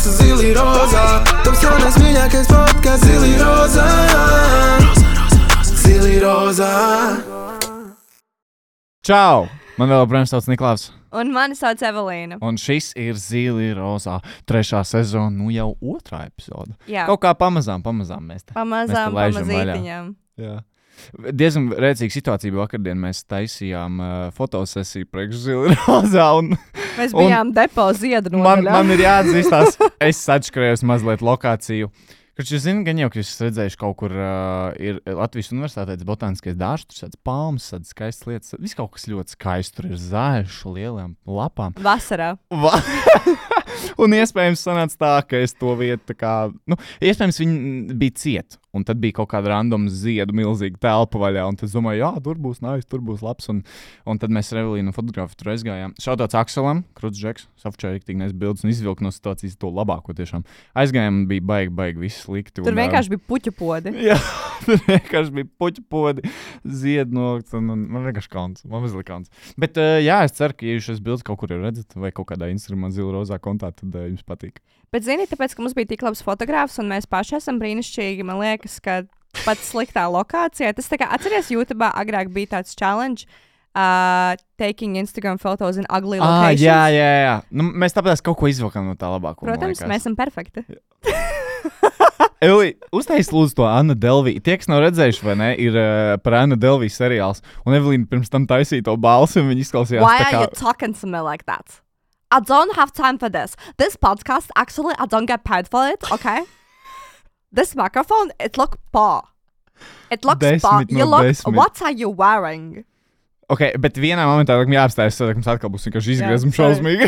Zili Roza. Tops jaunais mīļākais podcasts Zili Roza. Zili Roza. Čau! Man vēl joprojām sauc Niklaus. Un mani sauc Evelīna. Un šis ir Zili Rozā 3. sezona, nu jau 2. epizode. Jā. Kaut kā pamazām mēs te Pamazītiņām. Jā. Diezgan rēcīga situācija bija vakardien. Mēs taisījām fotosesiju priekš Zili Rozā. Mēs bijām depo ziedu nodaļā. Man ir jāatzīstās, es atškrējos mazliet lokāciju. Kurš jūs zināt, gan jau, ka jūs redzējuši kaut kur ir Latvijas universitātēs botāniskais dārzs, tur tāds palmas, tādas skaistas lietas. Viss kaut kas ļoti skaists, tur ir zaļš, lielām lapām. Vasarā. Un iespējams sanāca tā, ka es to vietu tā kā, iespējams viņi bija cieti. Un tad bija kaut kāda random ziedu milzīga telpa vaļā. Un tad es domāju, jā, tur būs nice, tur būs labs. Un tad mēs ar Evelīnu fotografu tur aizgājām. Šautauts Akselam, Kruts Džeks, safčēja tik nes bildes un izvilka no situācijas to labāko tiešām. Aizgājām, bija baigi, viss slikti. Tur vienkārši bija puķu podi. Jā, tur vienkārši bija puķu podi, ziedu nokts un man vienkārši kauns, man mazliet kauns. Bet jā, es ceru, ka ja jūs šīs bildes kaut kur jau redzat vai kaut kādā Instagramā Zili Rozā kontā, tad jums patīk. Bet zini, tāpēc, ka mums bija tik labs fotogrāfs un mēs paši esam brīnišķīgi, man liekas, ka pat sliktā lokācijā. Tas tā kā atceries, YouTube agrāk bija tāds challenge, taking Instagram photos in ugly locations. Jā. Mēs tāpēc kaut ko izvilkam no tā labāko. Protams, mēs esam perfekti. Evelī, uztais lūdzu to Anna Delvī. Tie, kas nav redzējuši, vai ne, ir par Anna Delvī seriāls. Un Evelīna pirms tam taisīja to balsi un viņa izklausījās Why tā kā... are you talking to me like that? I don't have time for this. This podcast, actually, I don't get paid for it, okay? This microphone, it looks poor. It looks poor. What are you wearing? Ok, bet vienā momentā likam jāapstājas, tad mums atkal būs vienkārši izgriezumi šausmīgi.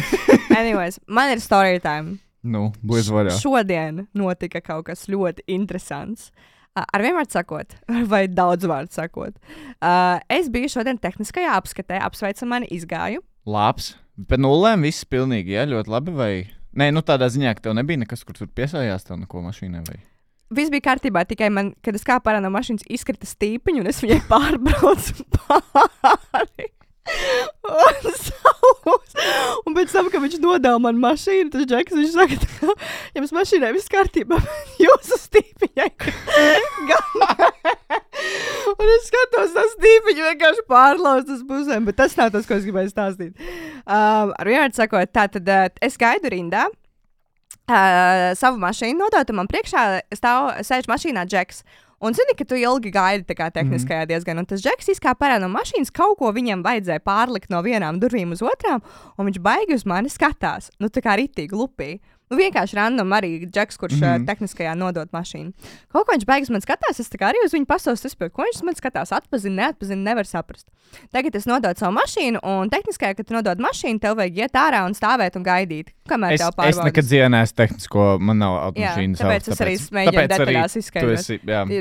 Anyways, man ir story time. Bliedz vaļā. Šodien notika kaut kas ļoti interesants. Ar vienu vārdu sakot, vai daudz vārdu sakot. Es biju šodien tehniskajā apskatē, apsveicam mani izgāju. Labs. Pēc nulēm viss pilnīgi, jā, ļoti labi, vai? Nē, tādā ziņā, ka tev nebija nekas, kur tur piesājās tev neko mašīnai, vai? Viss bija kārtībā, tikai man, kad es kāpu ārā no mašīnas, izkrita stīpiņu, un es viņai pārbraucu pāri. Un savus. Un pēc tam, kad viņš nodeva man mašīnu, tas Džeks, viņš saka, jums mašīnai viss kārtībā, jūsu stīpiņai. Un es skatos, tas stīpiņu vienkārši pārlauz uz pusēm, bet tas nav tas, ko es gribēju stāstīt. Ar vienmēr sakot, tātad es gaidu rindā, savu mašīnu nodot, un man priekšā sēž mašīnā Džeks. Un zini, ka tu ilgi gaidi tā kā tehniskajā diezgan, un tas Džeks izkāpa ārā no mašīnas, kaut ko viņam vajadzēja pārlikt no vienām durvīm uz otrām, un viņš baigi uz mani skatās, tā kā ritīgi lupī. Vienkārši random arī Džeks, kurš tehniskajā nodot mašīnu. Kaut ko viņš beigas man skatās, es tā kā arī uz viņu pasaules izpildu, ko viņš man skatās, atpazina, nevar saprast. Tagad es nododu savu mašīnu, un tehniskajā, kad tu nodod mašīnu, tev vajag iet ārā un stāvēt un gaidīt, kamēr tev pārbaudas. Es nekad dzīvē neesmu tehnisko, man nav automašīnas. Tāpēc es arī mēģinu detaļās izskaidrot.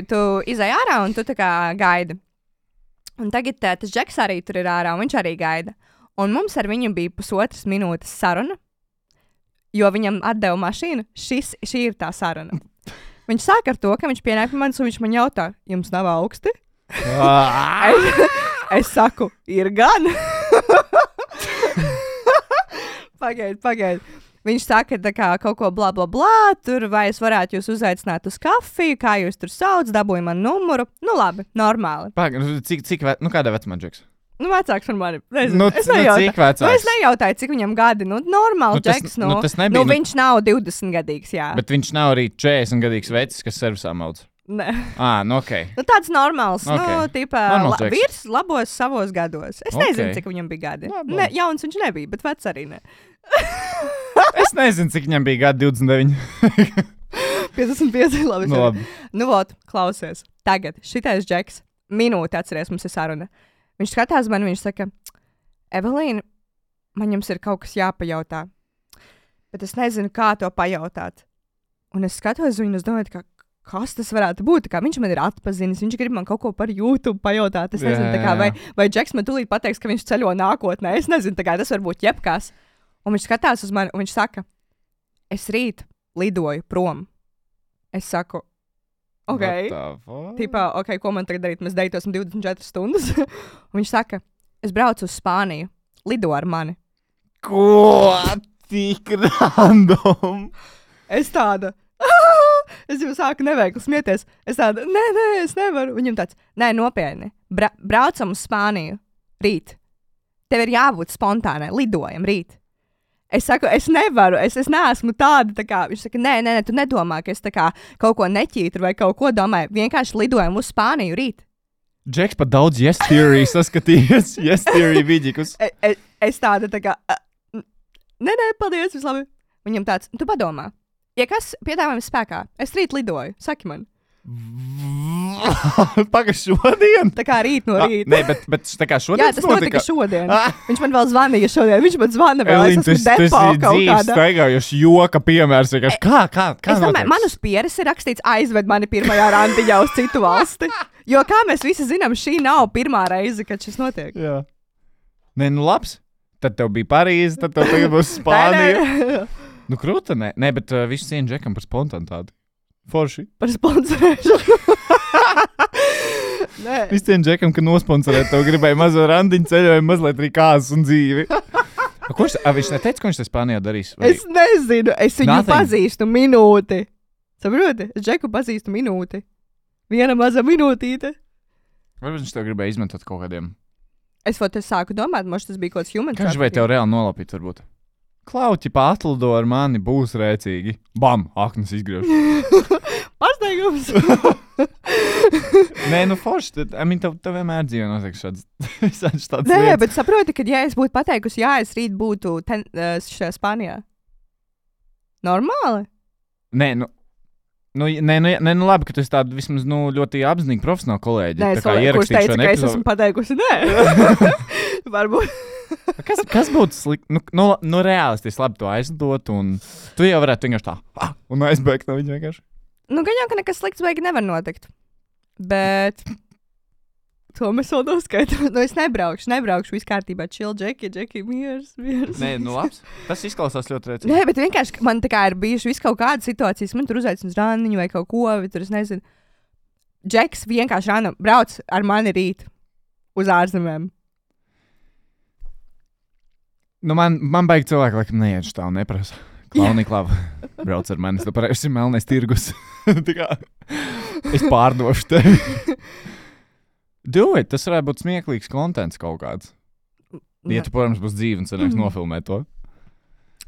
Tu izej ārā un tu tā kā gaidi. Un tagad tas Džeks arī tur ir ārā, un viņš arī gaida. Un mums ar viņu bija 1,5 minūtes saruna. Jo viņam atdeva mašīnu, šī ir tā saruna. Viņš sāk ar to, ka viņš pienāk pie manis un viņš man jautā, jums nav augsti? Es saku, ir gan. Pagaid. Viņš saka tā kā kaut ko blā, tur vai es varētu jūs uzaicināt uz kafiju, kā jūs tur sauc, dabūju man numuru. Labi, normāli. Kādā vecumā Džeks? Vecāks par mani. Es nejautāju. Es nejautāju, cik viņam gadi. Normāli Džeks. Viņš nav 20 gadīgs, jā. Bet viņš nav arī 40 gadīgs vecis, kas servisā maudz. Nē. Ok. Tāds normāls. Okay. Vīrs labos savos gados. Es nezinu, cik viņam bija gadi. Jauns viņš nebija, bet vecs arī ne. Es nezinu, cik viņam bija gadi 29. 55, labi. Labi. Klausies. Tagad šitais Džeks. Minūte atceries, mums ir saruna. Viņš skatās man, viņš saka, Evelīna, man jums ir kaut kas jāpajautā, bet es nezinu, kā to pajautāt. Un es skatos viņu, es domāju, kas tas varētu būt, kā viņš man ir atpazinis, viņš grib man kaut ko par YouTube pajautāt, es nezinu, tā kā, vai Džeks man tūlīt pateiks, ka viņš ceļo nākotnē, es nezinu, tā kā tas var būt jebkas. Un viņš skatās uz mani, un viņš saka, es rīt lidoju prom. Es saku, ok, ko man tagad darīt? Mēs deitosim 24 stundas. Un viņš saka, es braucu uz Spāniju, lido ar mani. Ko? Tik random. Es tāda. Es jau sāku neveikli smieties. Es tāda, nē, es nevaru. Viņam tāds, nē, nopietni. Braucam uz Spāniju. Rīt. Tev ir jābūt spontānai. Lidojam rīt. Es saku, es nevaru. Es neesmu tāda. Tā kā, viņš saka, nē, tu nedomā, ka es tā kā kaut ko neķītu vai kaut ko domāju. Vienkārši lidojam uz Spāniju rīt. Džeks pat daudz yes theory saskatījies. Yes theory vidīkus. Es tāda tā kā, nē, paldies, viss labi. Viņam tāds, tu padomā. Ja kas piedāvājums spēkā, es rīt lidoju, saki man. Paga šodien? Tā kā rīt no rīta. Nē, bet tā kā šodien. Jā, tas notika šodien. Viņš man vēl zvanīja šodien. Viņš man zvana vēl. Elīna, tas ir dzīves staigājuši joka piemērs. Kā es domāju, man uz pieres ir rakstīts aizved mani pirmajā randiņā uz citu valsti. Jo kā mēs visi zinām, šī nav pirmā reize, kad šis notiek. Jā. Nē, nu labs. Tad tev bija Parīze, tad tev tagad būs Spānija. Nu, krūta, nē, bet visu cieņu Džekam par spontānitāti. Forši. Par sponsorēšanu. Visu cieņu Džekam, ka nosponsorēt tev gribēja mazo randiņu ceļojumu, mazliet arī kāzas un dzīvi. Viņš neteica, ko viņš te Spānijā darīs? Vai? Es nezinu, es viņu pazīstu minūti. Saproti? Es Džeku pazīstu minūti. Viena maza minūtīte. Varbūt viņš tev gribēja izmantot kaut kādiem. Es sāku domāt, moš tas bija kaut kāds human. Kā viņš vai tev reāli nolapīt varbūt? Klauķi pārtlido ar mani, būs rēcīgi. Bam, aknas izgriež. Pārsteigums. Nē, nu forši, tev vienmēr dzīvē notiek šāds tāds Nē, lietas. Bet saproti, ka ja es būtu pateikusi, jā, es rīt būtu šajā Spānijā. Normāli? Nē, nu labi, ka tu esi tāda vismaz ļoti apzinīgi profesionāla kolēģi. Nē, kurš teica, ka es esmu pateikusi, nē. Varbūt. Kas būtu slikti? Nu reālistiski labi to aizdot, un tu jau varētu vienkārši tā, un aizbēgt no viņa vienkārši. Nu, gan jau, ka nekas slikts beigi nevar notikt. Bet to mēs vēl noskaidām. Nu, es nebraukšu viss kārtībā. Chill, Džeki, miers. Nē, nu labs. Tas izklausās ļoti rēcīgi. Nē, bet vienkārši man tā kā ir bijuši viss kaut kādas situācijas, man tur uzaicina uz randiņu vai kaut ko, vai tur es nezinu. Džeks vienkārši random brauc ar mani rīt uz ārzemēm. Nu, man baigi cilvēki, laikam, neiešu tā un neprasa. Klauni klava, brauc ar mani, tu pareizi ir melnais tirgus. Tā kā es pārdošu tevi. Do it, tas varētu būt smieklīgs kontents kaut kāds. Ja tu, protams, būs dzīve un sanāks nofilmēt to.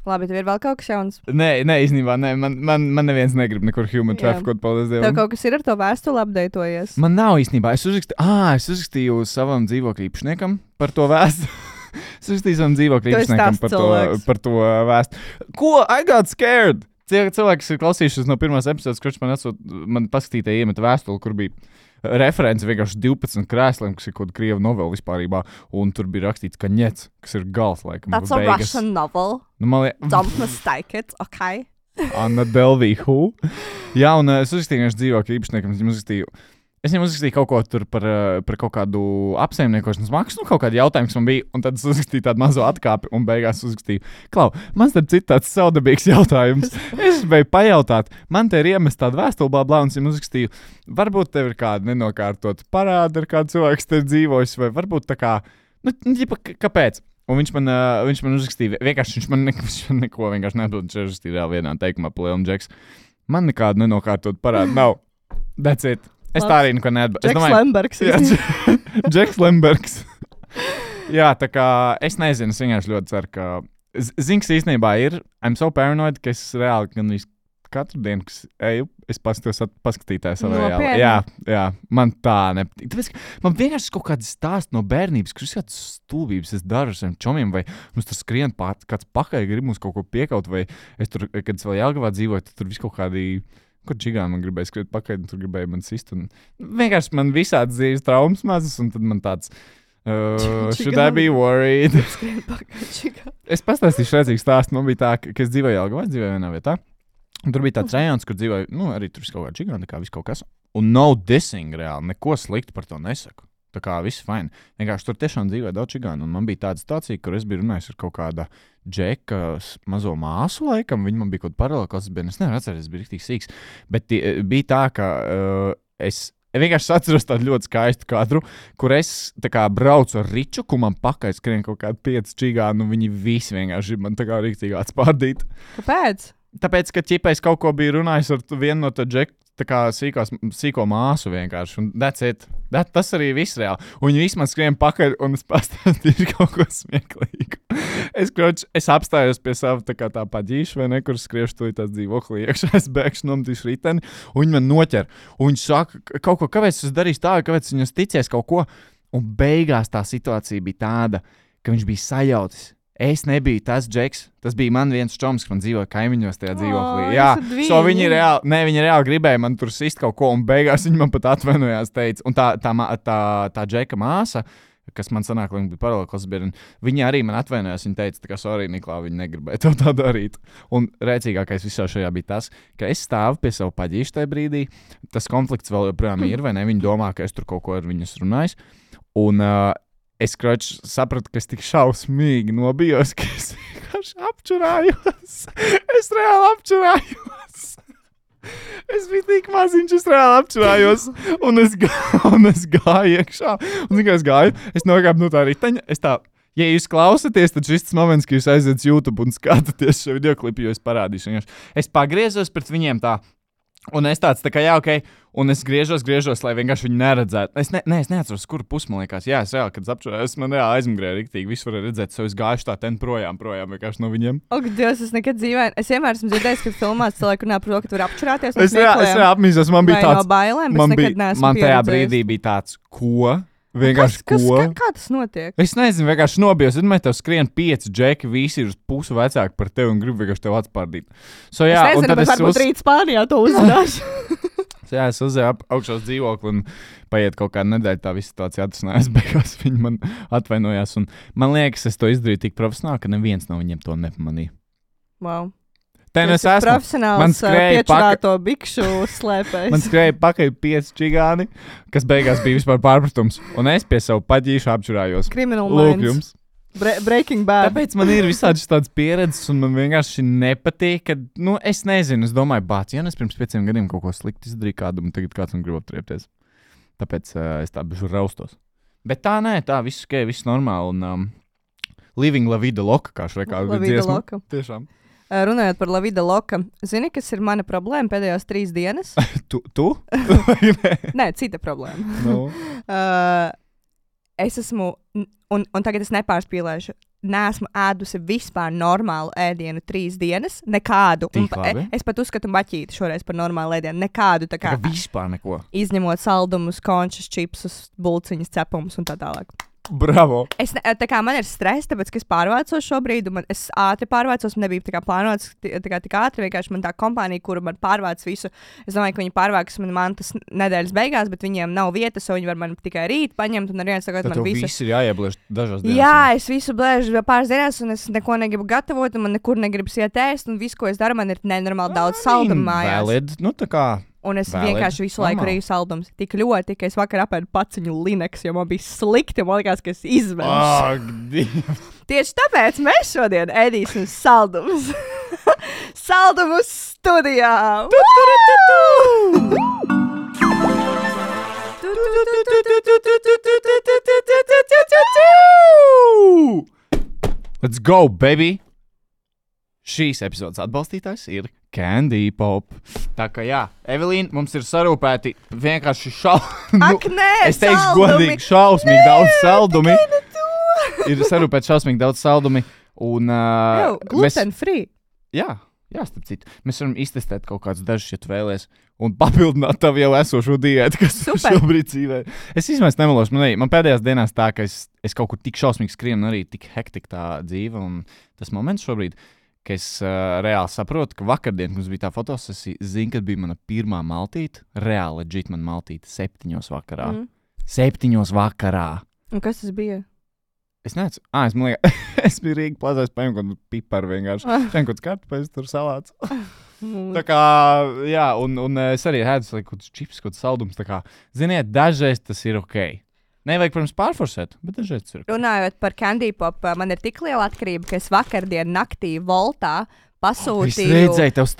Labi, tev ir vēl kaut kas jauns? Nē, īstenībā, nē, man neviens negrib nekur human trafficot, paldies Dievam. Tev kaut kas ir ar to vēstuli apdeitojies? Man nav īstenībā, es uzrakstīju savam dzīvokļu īpašniekam par to vēstuli. Es uzrakstīju savam dzīvokļu īpašniekam par to vēstuli. Ko? I got scared! Cilvēki, kas ir klausījušies no pirmās epizodes, kurš man paskatītāji iemeta vēstuli, kur bija referents vienkārši 12 krēsliem, kas ir kaut kāda krieva novela vispārībā, un tur bija rakstīts Kaņets, kas ir gals, laikam. That's a Russian novel. Don't mistake it, okay? Anna Delvey, who? Jā, un es uzrakstīju vienkārši dzīvokļu īpašniekam, es viņam uzrakstīju kaut ko tur par kaut kādu apsaimniekošanas maksu, kaut kādu jautājumu, kas man bija, un tad es uzrakstīju tādu mazo atkāpi, un beigās uzrakstīju, Klau, man tad cits tāds saudabīgs jautājums. Es gribēju pajautāt, man te ir iemest tādu vēstuli, blā, un es viņam uzrakstīju, varbūt tev ir kāda nenokārtot parāda, ar kādu cilvēku te ir dzīvojis, vai varbūt tā kā, kāpēc? Un viņš man uzrakstīja, vienkārši viņš man neko vienkārši neatbild, viņš uzrakstīja reāli vienā teikumā, Plēlam Džeks. Man nekādu nenokārtot parādu nav. That's it. Es tā arī neko neatbalstu. Džeks Lembergs. Jā, Džeks Lembergs. Jā, tā kā es nezinu, es vienkārši ļoti ceru, ka Zinks īstenībā ir, I'm so paranoid, ka es reāli gan katru dienu, kas eju, es paskatītāju savā jā, man tā nepatīk. Tāpēc, man vienkārši kaut kāds stāsts no bērnības, kurš kāds stulbības es daru ar saviem čomiem, vai mums tur skrien kāds pakaļ, grib mums kaut ko piekaut, vai es tur, kad es vēl Jelgavā dzīvoju, tur viss kaut kādi Kur čigā man gribēja skriet pakaļ, un tur gribēja man sist. Un vienkārši man visāds dzīves traumas mazas, un tad man tāds, should I be worried? Es pastāstīšu redzīgu stāstu. Man bija tā, ka es dzīvoju Jelgavā, es dzīvoju vienā vietā. Un tur bija tāds rajons, kur dzīvoju, arī tur viss kaut kā čigā, tā kā viss kaut kas. Un no dissing reāli, neko sliktu par to nesaku. Tā kā viss fine. Vienkārši tur tiešām dzīvoja daudz čigānu. Un man bija tāda situācija, kur es biju runājis ar kaut kāda Džeka mazo māsu laikam. Viņa man bija kaut kāda paralēla klases bērna. Es nevaru atcerēties, es biju riktīgi sīks. Bet bija tā, ka es vienkārši atceros tādu ļoti skaistu kadru, kur es tā kā braucu ar Ričuku, man pakaļ skrien kaut kādi 5 čigāni, un viņi visi vienkārši man tā kā riktīgi atspārdīt. Kāpēc? tāpēc, ka ķipais kaut ko bija runājis ar vienu no tā džeku, tā kā sīko māsu vienkārši. Un tas arī viss reāli. Un viņi visi man skrien pakaļ, un es pastāstīšu kaut ko smieklīgu. Es apstājos pie sava tā paģīša, vai nekur skriešu to tās dzīvoklī iekšā, es bēgšu nometīšu riteni, un viņi man noķer. Un viņi saka, kaut ko, kāpēc es darīšu tā, kāpēc viņas ticēs kaut ko. Un beigās tā situācija bija tāda, ka viņš bija sajautis. Es nebiju tas džeks, tas bija man viens čoms, man dzīvoja kaimiņos tajā dzīvoklī. Jā, viņi reāli gribēja man tur sist kaut ko, un beigās viņi man pat atvainojās, teica. Un tā džeka māsa, kas man sanāk, viņa bija paralēklas biedrene, viņa arī man atvainojās, viņa teica, tā kā sorry, Niklā, viņa negribēja tev tā darīt. Un rēcīgākais visā šajā bija tas, ka es stāvu pie savu paģīšu tajā brīdī, tas konflikts vēl joprojām ir, vai ne, viņi domā, ka es tur kaut ko ar viņus runājis. Un es sapratu, ka es tik šausmīgi nobijos, ka es vienkārši apčurājos. Es reāli apčurājos. Es biju tik maziņš, es reāli apčurājos. Un es gāju iekšā. Un es gāju, es nokāpu no tā riteņa. Ja jūs klausaties, tad šis moments, ka jūs aiziet YouTube un skatāties šo videoklipu, jo es parādīšu. Es pagriezos pret viņiem tā. Un es tāds tā kā, jā, ok, un es griežos, lai vienkārši viņu neredzētu. Es neatceros, kuru pusi, man liekas, jā, es reāli, kad apčurājos, man reāli aizmgrēja riktīgi, visu varēja redzēt, so es gājuši tā ten projām vienkārši no viņiem. Ak, Dievs, es nekad dzīvē, es vienmēr esmu dzirdējis, ka filmās cilvēki runā par to, ka tu vari apčurāties. Es reāli apmīzos, man bija tāds, no bailēm, bet nekad neesmu man tajā brīdī bija tāds, ko? Vienkārši kā tas notiek? Es nezinu, vienkārši nobijos. Tad mēs tev skrien 5 džeki, visi ir uz pusi vecāki par tevi un grib vienkārši tev atspārdīt. So, jā, es nezinu, bet varbūt rīt Spānijā to uzzināšu. Jā, es uzēju augšā uz dzīvokli un paiet kaut kāda nedēļa, tā visa situācija atrisinājās. Beigās viņi man atvainojās. Un man liekas, es to izdarīju tik profesionāli, ka neviens no viņiem to nepamanīja. Wow. Te nu es esmu. Profesionāls piečurāto bikšu slēpējs. Man skrēja pakaļ 5 čigāni, kas beigās bija vispār pārpratums. Un es pie savu paģīšu apčurājos. Criminal Lūk minds. Jums. Breaking Bad. Tāpēc man ir visādi tādas pieredzes, un man vienkārši nepatīk, ka, es nezinu, es domāju, ja es pirms 5 gadiem kaut ko slikti izdarīju kādam, un tagad kāds man grib aptriepties. Tāpēc es tā bišu raustos. Bet tā nē, tā viss ok, viss normāli, un living la vida loca, kā šai kādu dziesmu. Tiešām. Runājot par La Vida Loca, zini, kas ir mana problēma pēdējās 3 dienas? Tu? Nē, cita problēma. No. Es esmu, un tagad es nepārspīlēšu, neesmu ēdusi vispār normālu ēdienu 3 dienas, nekādu. Es pat uzskatu maķīti šoreiz par normālu ēdienu, nekādu tā kā. Vispār neko. Izņemot saldumus, končus, čipsus, bulciņas, cepumus un tā tālāk. Bravo! Tā kā man ir stress, tāpēc, ka es pārvācos šobrīd, un es ātri pārvācos, man nebija tā kā plānots tik ātri, vienkārši man tā kompānija, kura man pārvāc visu, es domāju, ka viņi pārvāks man tas nedēļas beigās, bet viņiem nav vietas, so viņi var man tikai rīt paņemt, un ar viens tagad man visu. Tad viss ir jāiebliež dažās dienās. Jā, es visu blēžu pāris dienās, un es neko negribu gatavot, un man nekur negribas iet ēst, un visu, ko es daru, man ir nenormāli daudz saldumu mājās. Valid, tā kā. Un es vienkārši visu laiku rīju saldumus. Tik ļoti, ka es vakar apēdu paciņu Linux, jo man bija slikti, man likās, ka es izvēlu. Tieši tāpēc mēs šodien ēdīsim saldumus. Saldumus studijā! Let's go, baby! Šīs epizodes atbalstītājs ir Candy Pop. Tā kā jā, Evelīna, mums ir sarūpēti vienkārši Ak, nē, es teikšu godīgi, šausmīgi daudz saldumi. Ir sarūpēti šausmīgi daudz saldumi. Un gluten free. Jā, starp citu. Mēs varam iztestēt kaut kādus dažus, ja tu vēlies, un papildināt tavu jau esošo diētu, kas šobrīd dzīvē. Es īstenībā nemelošu. Man pēdējās dienās tā, ka es kaut kur tik šausmīgi skrienu, arī tik hektika tā dzīve, un tas moments šobrīd, ka es reāli saprotu, ka vakardien, kad mums bija tā fotosesija, zinu, kad bija mana pirmā maltīte, reāli leģit man maltīte 7 vakarā. 7 vakarā. Un kas tas bija? Es nezinu. Es biju Rīga plazās, paņēmu kaut kādu piparu vienkārši. Šeit kaut kāds kartupēs, tur salāts. Tā kā, jā, un es arī ēdu kaut kāds čips, kaut kāds saldums. Tā kā, ziniet, dažreiz tas ir ok. Nevajag, protams, pārforsēt, bet dažreiz tas ir. Runājot par Candy Pop, man ir tik liela atkarība, ka es vakardien naktī Voltā pasūtīju tās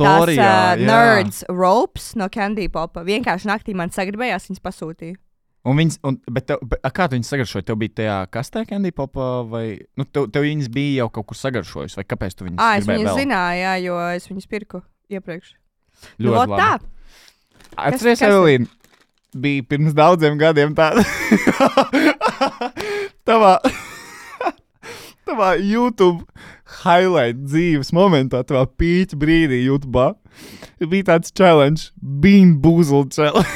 Nerds ropes no Candy Pop. Vienkārši naktī man sagribējās viņas pasūtīt. Kā tu viņas sagaršoji? Tev bija tajā kastē Candy Pop vai... Nu, tev viņas bija jau kaut kur sagaršojusi, vai kāpēc tu viņas Es gribēji viņas vēl? zināju, jā, jo es viņas pirku iepriekš. Ļoti labi. Tā. Atceries, kas ir? Evelīna, bija pirms daudziem gadiem tāda. Tavā YouTube highlight dzīves momentā, tavā pīķa brīdī YouTube bija tāds challenge, Bean Boozle challenge.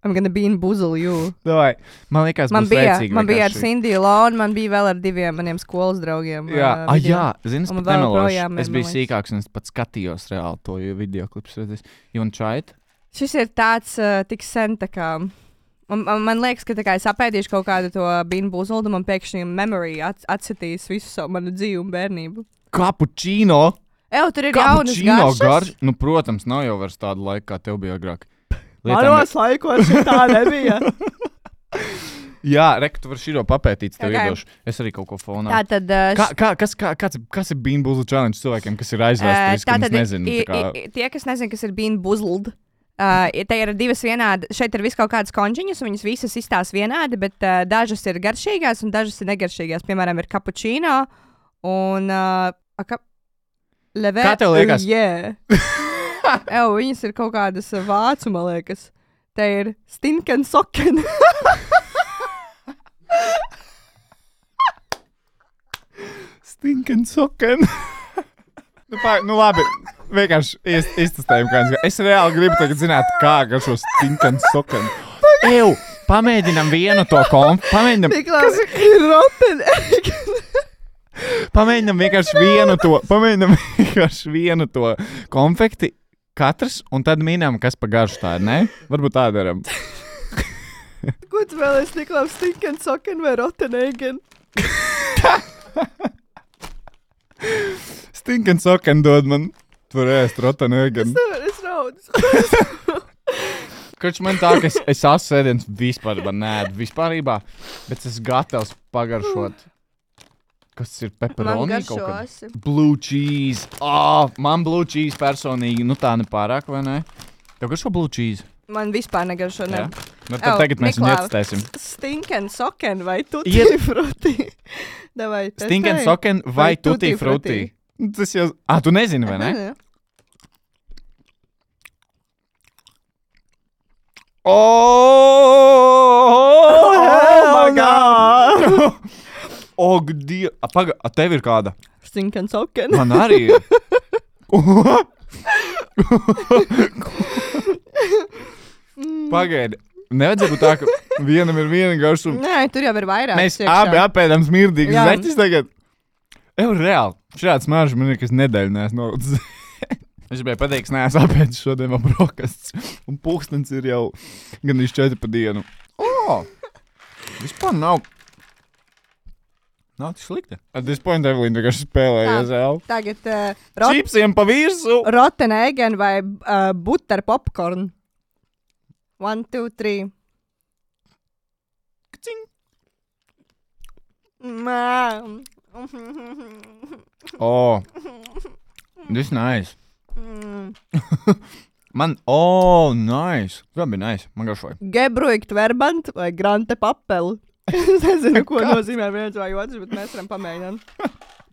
I'm gonna bean boozle you. Davai, man liekas, Man būs bija vērtīgi ar vienkārši. Cindy Lone, man bija vēl ar 2 maniem skolas draugiem. Jā, video. zini, es Un pat vēl nemelošu. projām Es ir, biju man liekas. sīkāks un es pat skatījos reāli to video klipus. You want to try it? Šis ir tāds tik sen, tā kā. Man liekas, ka tā kā es apēdīšu kaut kādu to bean boozle, un man pēkšņi memory atsitīs visu savu manu dzīvi un bērnību. Cappuccino! Tur ir jaunas garšas. Nu, protams, nav jau vairs tāda laika, kā tev bija agrāk. Manos laikos tā nebija. Jā, Reka, tu vari širo papētīt, tev Okay. iedošu. Es arī kaut ko fonā. Tātad, Kas ir Bean Boozle challenge cilvēkiem, kas ir aizvēsturiski, un es nezinu, tā kā... tie, kas nezina, kas ir bean boozled, te ir 2 vienādi, šeit ir viss kaut kādas konžiņas, un viņas visas izstās vienādi, bet dažas ir garšīgās, un dažas ir negaršīgās. Piemēram, ir cappuccino, un... Kā tev liekas? Yeah. Viņas ir kaut kādas vācu, man liekas. Te ir stinken soken. Stinken soken. Nu labi, vienkārši iztestējam, kā es reāli gribu tagad zināt, kā garšo stinken soken. Pamēģinam vienu to pamēģinam... Kas ir rotten? Pamēģinam vienkārši vienu to konfekti katrs, un tad minam, kas pa garšu tā ir, ne? Varbūt tā daram. Ko tu vēl esi, Niklaus, stinken soken vai rotten egen? Stinken soken dod man. Tu vari ēst rotanu egen. Es raudu. Kurš man tā, ka es sēdienas vispār neēdu vispārībā, bet es gatavs pagaršot. Kas ir pepperoni kaut kā? Blue cheese. Man blue cheese personīgi, nu tā nepārāk, vai ne? Tev garšo blue cheese? Man vispār negaršo, ne. Nu tad tagad mēs viņu ietestēsim. Stinken soken vai tutti frutti? Davai, testēji. Stinken soken vai tutti frutti? Tas jau... tu nezini, vai ne? My God! Tev ir kāda? Stinken soken. Man arī ir. Pagaidi. Nevajadzētu būt tā, ka vienam ir viena garšuma. Nē, tur jau ir vairāk. Mēs abi apēdam smirdīgas zeķis tagad. Reāli. Šāds smaržs man ir, kas nedēļu neesmu norudzis. Es gribēju pateikt, ka neesmu apēdis šodien vēl brokastis. Un pulkstens ir jau gandrīz 4 pa dienu. Vispār nav tik slikti. At this point, Evelīna vienkārši spēlējies vēl. Tagad Čipsiem pa virsu. rotten egen vai butter popcorn. 1, 2, 3. Kcing. This nice. Man, nice. Kā bija nice? Man garšoja. Gebruikt verbant vai grante papel. Es nezinu, ko nozīmē viens vai otrs, bet mēs varam pamēģināt.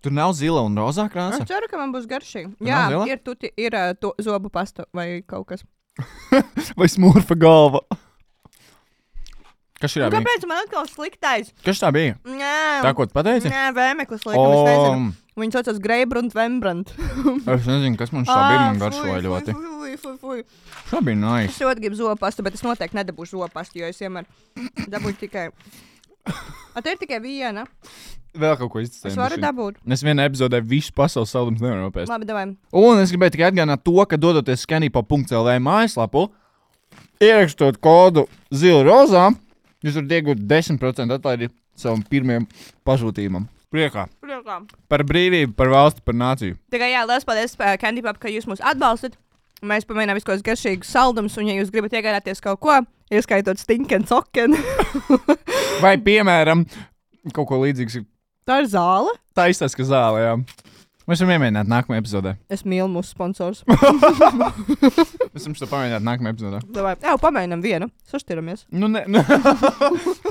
Tur nav zila un rozā krāsa? Es ceru, ka man būs garšīgi. Tur Jā, nav zila? ir to zobu pasta vai kaut kas. Vai smurfa galva? Kas šī bija? Kāpēc man atkal sliktais? Kas tā bija? Nē, Tā, ko tu pateici? Nē, vēmeklis laikam, es nezinu. Viņi saucas Greibrunt Vembrandt. Es nezinu, kas man šā bija, man garšoja ļoti. Fui. Šā bija nice. Es ļoti gribu zopastu, bet es noteikti nedabūšu zopastu, jo es vienmēr dabūju tikai... Te ir tikai viena. Vēl kaut ko izcēlīt. Es varu dabūt. Es vienā epizodē visu pasaules saldums nevaru nopēst. Labi, davai. Un es gribēju tikai atgādināt to, ka dodoties scanipop.lv mājaslapu, ierakstot kodu zila-rozā, jūs varat iegūt 10% atlaidi savam pirmajam pasūtījumam. Priekā. Par brīvību, par valsti, par nāciju. Tikai jā, liels paldies, Candy Pop, ka jūs mūs atbalstat. Mēs pamēģinām visu kaut garšīgus saldumus, un ja jūs gribat iegādāties kaut ko, ieskaitot stinken soken. Vai, piemēram, kaut ko līdzīgs. Tā ir zāle? Tā izstāsta, ka zāle, jā. Mēs varam iemēģināt nākamajā epizodē. Es mīlu mūsu sponsors. Mēs varam šo pamēģināt nākamajā epizodē. Jā, pamēģinām vienu. Saštiramies. Nu, ne.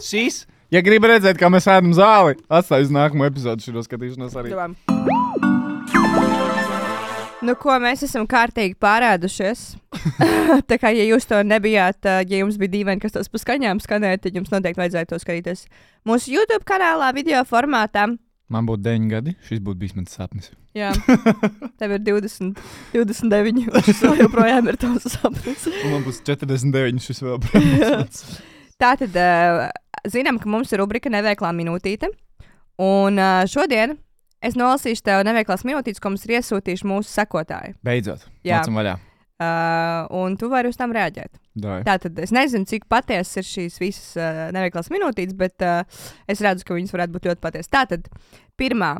Šīs, ja gribi redzēt, kā mēs ēdam zāli, atstāj uz nākamo epizodu šo skatīšanos arī. Davai. Nu, ko mēs esam kārtīgi pārēdušies. Tā kā, ja jūs to nebijāt, ja jums bija dīvaini, kas tos pa skaņām skanēja, tad jums noteikti vajadzēja to skatīties mūsu YouTube kanālā, video formātā. Man būtu 9 gadi, šis būtu bijis mans sapnis. Jā, tev ir 20, 29, un šis vēl joprojām ir tavs sapnis. Un man būs 49, šis vēl protams. Tātad, zinām, ka mums ir rubrika Neveiklā minūtīte, un šodien es nolasīšu tev neveiklās minūtītes, ko mums ir iesūtījuši mūsu sekotāji. Beidzot, Jā. nācam vaļā. Un tu vari uz tām reaģēt. Davai. Tātad es nezinu, cik patiesas ir šīs visas neveiklās minūtītes, bet es redzu, ka viņas varētu būt ļoti patiesas. Tātad, pirmā.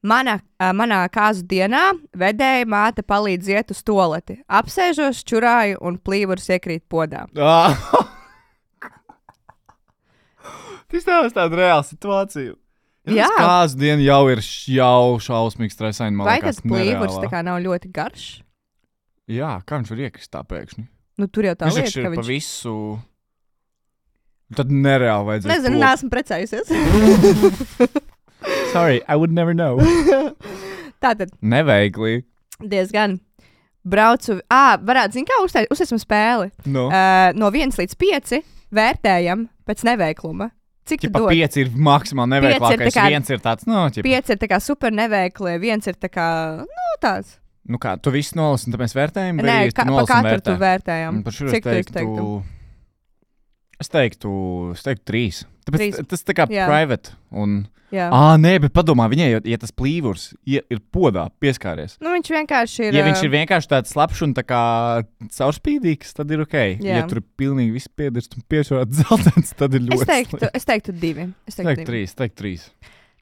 Manā kāzu dienā vedēja māte palīdz iet uz toleti. Apsēžos, čurāju un plīvurs iekrīt podā. Tas tās tāda reāla situācija. Jā. Kāzu diena jau ir šausmīgi stresaini. Vai tas plīvurs tā kā nav ļoti garš? Jā, kā viņš var iekrist tā pēkšņi? Nu, tur jau tā Viņš lieta, ir ka pa visu. Tad nereāli vajadzēja. Nezinu, neesmu precējusies. Sorry, I would never know. Tātad, Neveikli. diezgan braucu. Varētu, zin kā, uztaisam spēli. No. No 1 līdz 5 vērtējam pēc neveikluma. Cik tu Ķipa dod? 5 ir maksimāli neveiklākais. tā kā- 1 ir tāds, no, ķipa. 5 ir tā kā super neveikli, 1 ir tā kā, nu, tāds. Nu kā, tu visu nolasi un tad mēs vērtējam? Nē, vai pa tu nolasi un katru vērtē? tu vērtējam. Par šo Cik tu izteiktu? Es teiktu 3. Tāpēc 3. tas tā kā Jā. private. Un... Jā. Nē, bet padomā, viņai, ja tas plīvurs ir podā pieskāries. Nu, viņš vienkārši ir. Ja viņš ir vienkārši tāds slapjš un tā kā caurspīdīgs, tad ir ok. Jā. Ja tur ir pilnīgi viss piedirst un piešķirts zeltains, tad ir ļoti Es teiktu 2. Teiktu 3.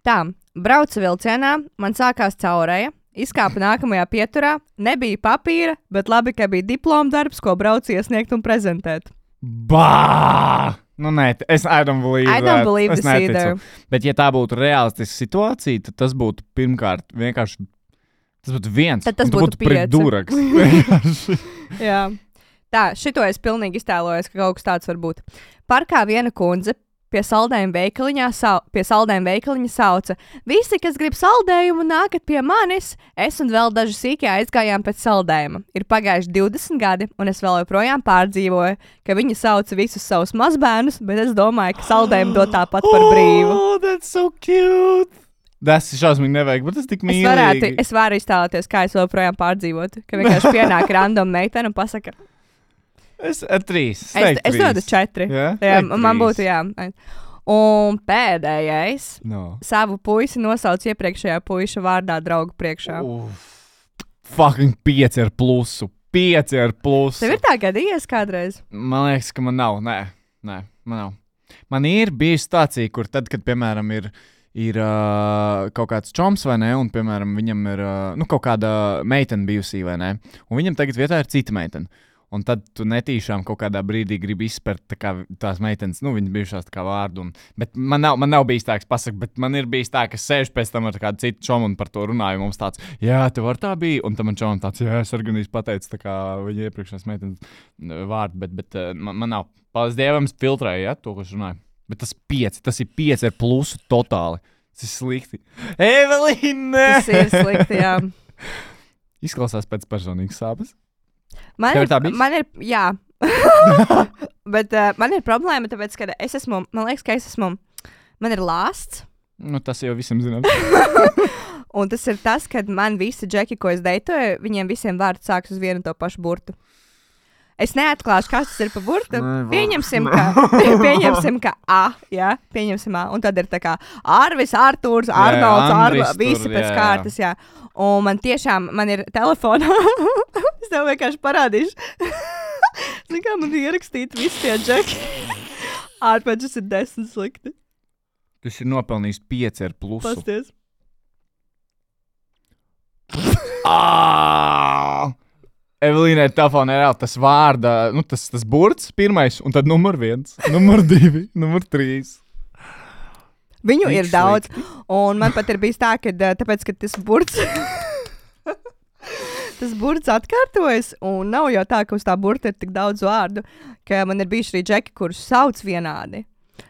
Tā, braucu vilcienā, man sākās caurēja, izkāpa nākamajā pieturā, nebija papīra, bet labi, ka bija diploma darbs, ko braucu iesniegt un prezentēt. Bā! Nu, nē, I don't believe I don't believe this either. Bet, ja tā būtu reālistiska situācija, tad tas būtu pirmkārt vienkārši. Tas būtu viens. Tad tas un tu būtu pret 5. duraks. Vienkārši. Jā. Tā, šito es pilnīgi iztēlojos, ka kaut kas tāds var būt. Parkā viena kundze pie saldējuma veikaliņa sauca: visi, kas grib saldējumu, nākat pie manis. Es un vēl daži sīkie aizgājām pēc saldējuma. Ir pagājuši 20 gadi, un es vēl joprojām pārdzīvoju, ka viņi sauca visus savus mazbērnus, bet es domāju, ka saldējumu dod tāpat par brīvu. Oh, that's so cute! Tas ir šausmīgi nevajag, bet tas tik mīlīgi. Es varu iztēloties, kā es joprojām pārdzīvotu, ka vienkārši pienāk random meitene un pasaka: Es 3. Es dodu 4. Jā? Jā, Teiktu man 3. būtu jā. Un pēdējais. No. Savu puisi nosauc iepriekšējā puiša vārdā draugu priekšā. Fucking 5 ar plusu. 5 ar plusu. Tev ir tā gadījies kādreiz? Man liekas, ka man nav. Nē, man nav. Man ir bijusi situācija, kur tad, kad, piemēram, ir kaut kāds čoms vai ne, un, piemēram, viņam ir kaut kāda meitene bijusī vai ne, un viņam tagad vietā ir cita meitene. Un tad tu netīšām kaut kādā brīdī gribi izspērt tās meitenes, viņas bijušās tā kā vārdu. Bet man nav bijis tā, kas pasaka, bet man ir bijis tā, ka sēž pēc tam ar kādu citu čomu un par to runāju. Mums tāds, jā, tev var tā bija. Un tam man čomam tāds, jā, es arī pateicu tā kā viņa iepriekšējās meitenes vārdu, bet man nav. Paldies Dievam, es filtrēju, ja, to, ko es runāju. Bet tas ir 5 ar plusu totāli. Tas ir slikti. Evelīna! Tas ir slikti, jā. Izklausās pēc personīgas sāpes. Man Tev ir tā bijis? man ir, jā. Bet man ir problēma, tāpēc, ka man liekas, ka man ir lāsts. Nu, tas jau visiem zinām. Un tas ir tas, ka man visi džeki, ko es deitoju, viņiem visiem vārds sāks uz vienu to pašu burtu. Es neatklāšu, kas tas ir pa burtu. Pieņemsim, ka A, jā, pieņemsim A. Un tad ir tā kā Arvis, Artūrs, Arnolds, Andris visi tur, pēc jā. kārtas, jā. Un man ir telefonā, es tev vienkārši parādīšu. Zini, kā man ierakstīt visi tie džeki. Ārpēc ir 10 slikti. Tas ir nopelnījis 5 ar plusu. Pasties. Evelīnai telefonā ir tas vārda, tas burts pirmais, un tad numur 1, numur 2, numur 3. Viņu Tik ir daudz, un man pat ir bijis tā, ka tāpēc, ka tas burts, tas burts atkārtojas, un nav jau tā, ka uz tā burta ir tik daudz vārdu, ka man ir bijuši arī džeki, kurus sauc vienādi.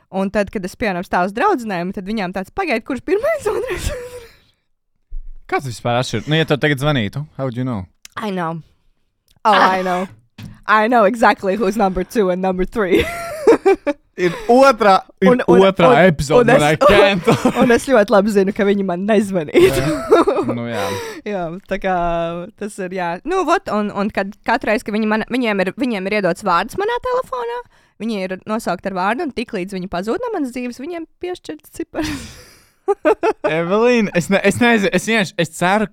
Un tad, kad es piemēram stāvu uz draudzenēm, tad viņām tāds pagaid, kurš pirmais, otrais. Kāds vispār atšķir? Nu, ja tev tagad zvanītu, how would you know? I know. Oh, I know. I know exactly who's number 2 and number 3. Ir otrā epizode, man I can't. Un es ļoti labi zinu, ka viņi man nezvanītu. Nu, jā. Jā, tā kā tas ir, jā. Nu, vot, un kad katreiz, ka viņiem ir iedots vārds manā telefonā, viņi ir nosaukt ar vārdu, un tik līdz viņi pazūd no manas dzīves, viņiem piešķirts cipars. Evelīna, es nezinu, es ceru,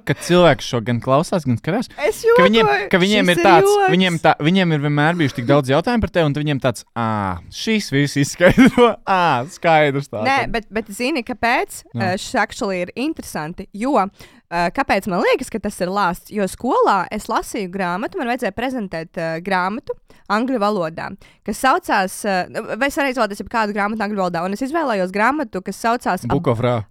ka cilvēki šo gan klausās, gan skatās. Es jokoju, ka viņiem ir tāds, viņiem ir vienmēr bijuši tik daudz jautājumu par tevi, un viņiem tāds, šīs viss izskaidro, skaidrs tā. Nē, bet zini, kāpēc šis actually ir interesanti, jo kāpēc man liekas, ka tas ir lāsts, jo skolā es lasīju grāmatu, man vajadzēja prezentēt grāmatu angļu valodā, kas saucās, vai es arī izvēlēties kādu grāmatu angļu valodā, un es izvēlējos grāmatu, kas saucās Book of Ra.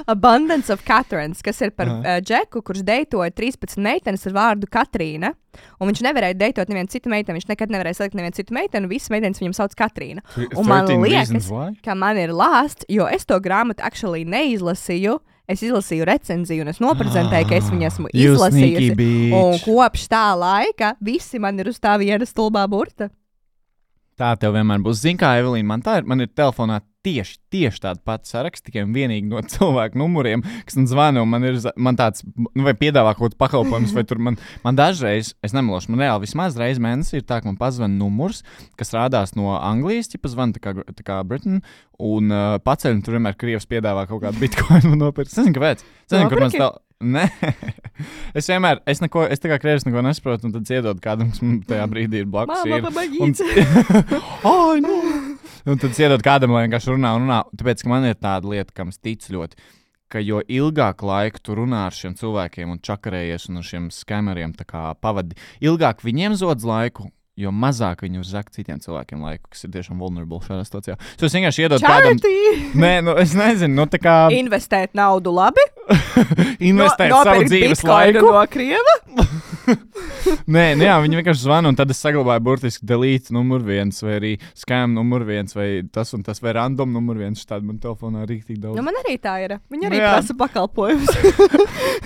Abundance of Catherines, kas ir par džeku, kurš deitoja 13 meitenes ar vārdu Katrīna, un viņš nevarēja deitot nevienu citu meiteni, viņš nekad nevarēja salikt nevienu citu meiteni, un visas meitenes viņam sauc Katrīna. Un man liekas, ka man ir lāsts, jo es to grāmatu actually neizlasīju, es izlasīju recenziju, un es noprezentēju, ka es viņu esmu izlasījusi, un kopš tā laika visi man ir uz tā viena stulbā burta. Tā tev vienmēr būs. Zini kā, Evelīna, man ir telefonā tieši tāda pati saraksts, tikai vienīgi no cilvēku numuriem, kas man zvana, un man tāds, vai piedāvā kaut kāds pakalpojums, vai tur man dažreiz, es nemelošu, man reāli vismaz reiz mēnesī ir tā, ka man pazvana numurs, kas rādās no Anglijas, ķipa zvana tā kā Britain, un paceļ, un tur vienmēr Krievs piedāvā kaut kādu bitcoinu nopirkt. Es nezinu, kāpēc. Kur man stāv... Nē, es tā kā Krievs neko nesaprotu, un tad iedod kādam, kas man tajā brīdī ir blakus. Māma, pamagīts. Un tad iedod kādam, lai vienkārši runā. Tāpēc, ka man ir tāda lieta, kam es ticu ļoti, ka jo ilgāk laiku tu runā ar šiem cilvēkiem un čakarējies un ar šiem skameriem tā kā pavadi, ilgāk viņiem zodz laiku, jo mazāk viņi uzzāk citiem cilvēkiem laiku, kas ir tiešām vulnerable šādā situācijā. Es vienkārši iedodu kādam... Nē, es nezinu, tā kā... Investēt naudu labi? Investēt savu dzīves laiku? No Krieva? Nē, jā, viņi vienkārši zvana, un tad es saglabāju burtiski delete numur 1, vai arī scam numur 1, vai tas un tas, vai random numur 1, štādi man telefonā rīktīgi daudz. Nu, man arī tā ir. Viņi arī prasa pakalpojumus.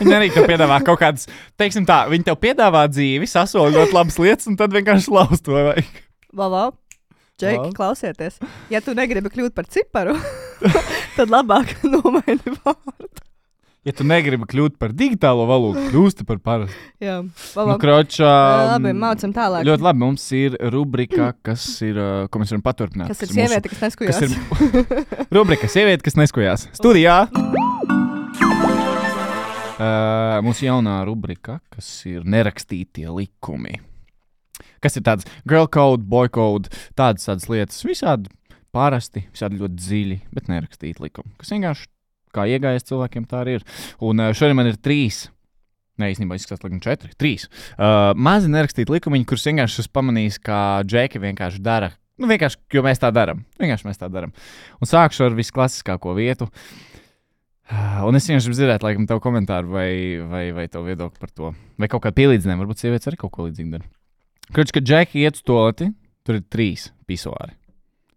Viņi arī tev piedāvā kaut kādas, teiksim tā, viņi tev piedāvā dzīvi, sasoļ ļoti labas lietas, un tad vienkārši laust to vajag. Valo, Džeki, klausieties. Ja tu negribi kļūt par ciparu, tad labāk nomaini vārdu. Ja tu negribi kļūt par digitālo valodu, kļūsti par parastu. Jā, nu, kročā, labi, mācam tālāk. Ļoti labi, mums ir rubrika, kas ir, ko mēs varam paturpināt. Kas ir sieviete, kas neskujās. Rubrika sieviete, kas neskujās. Studijā. Mums jaunā rubrika, kas ir nerakstītie likumi. Kas ir tāds girl code, boy code, tādas lietas. Visādi parasti, visādi ļoti dziļi, bet nerakstīti likumi. Kas vienkārši kā iegājas cilvēkiem, tā arī ir. Un šodien man ir 3, īstenībā izskatās laikam 4, 3. Mazi nerakstīti likumiņi, kurus vienkārši esmu pamanījis, kā džeki vienkārši dara. Nu, vienkārši, jo mēs tā daram. Vienkārši mēs tā daram. Un sākšu ar visklasiskāko vietu. Un es vienkārši dzirdētu, laikam, tavu komentāru vai tavu viedokli par to. Vai kaut kādu pielīdzinājumu, varbūt sievietes arī kaut ko līdzīgu dara. Kroč, kad džeki iet uz toleti, tur ir 3 pisuāri.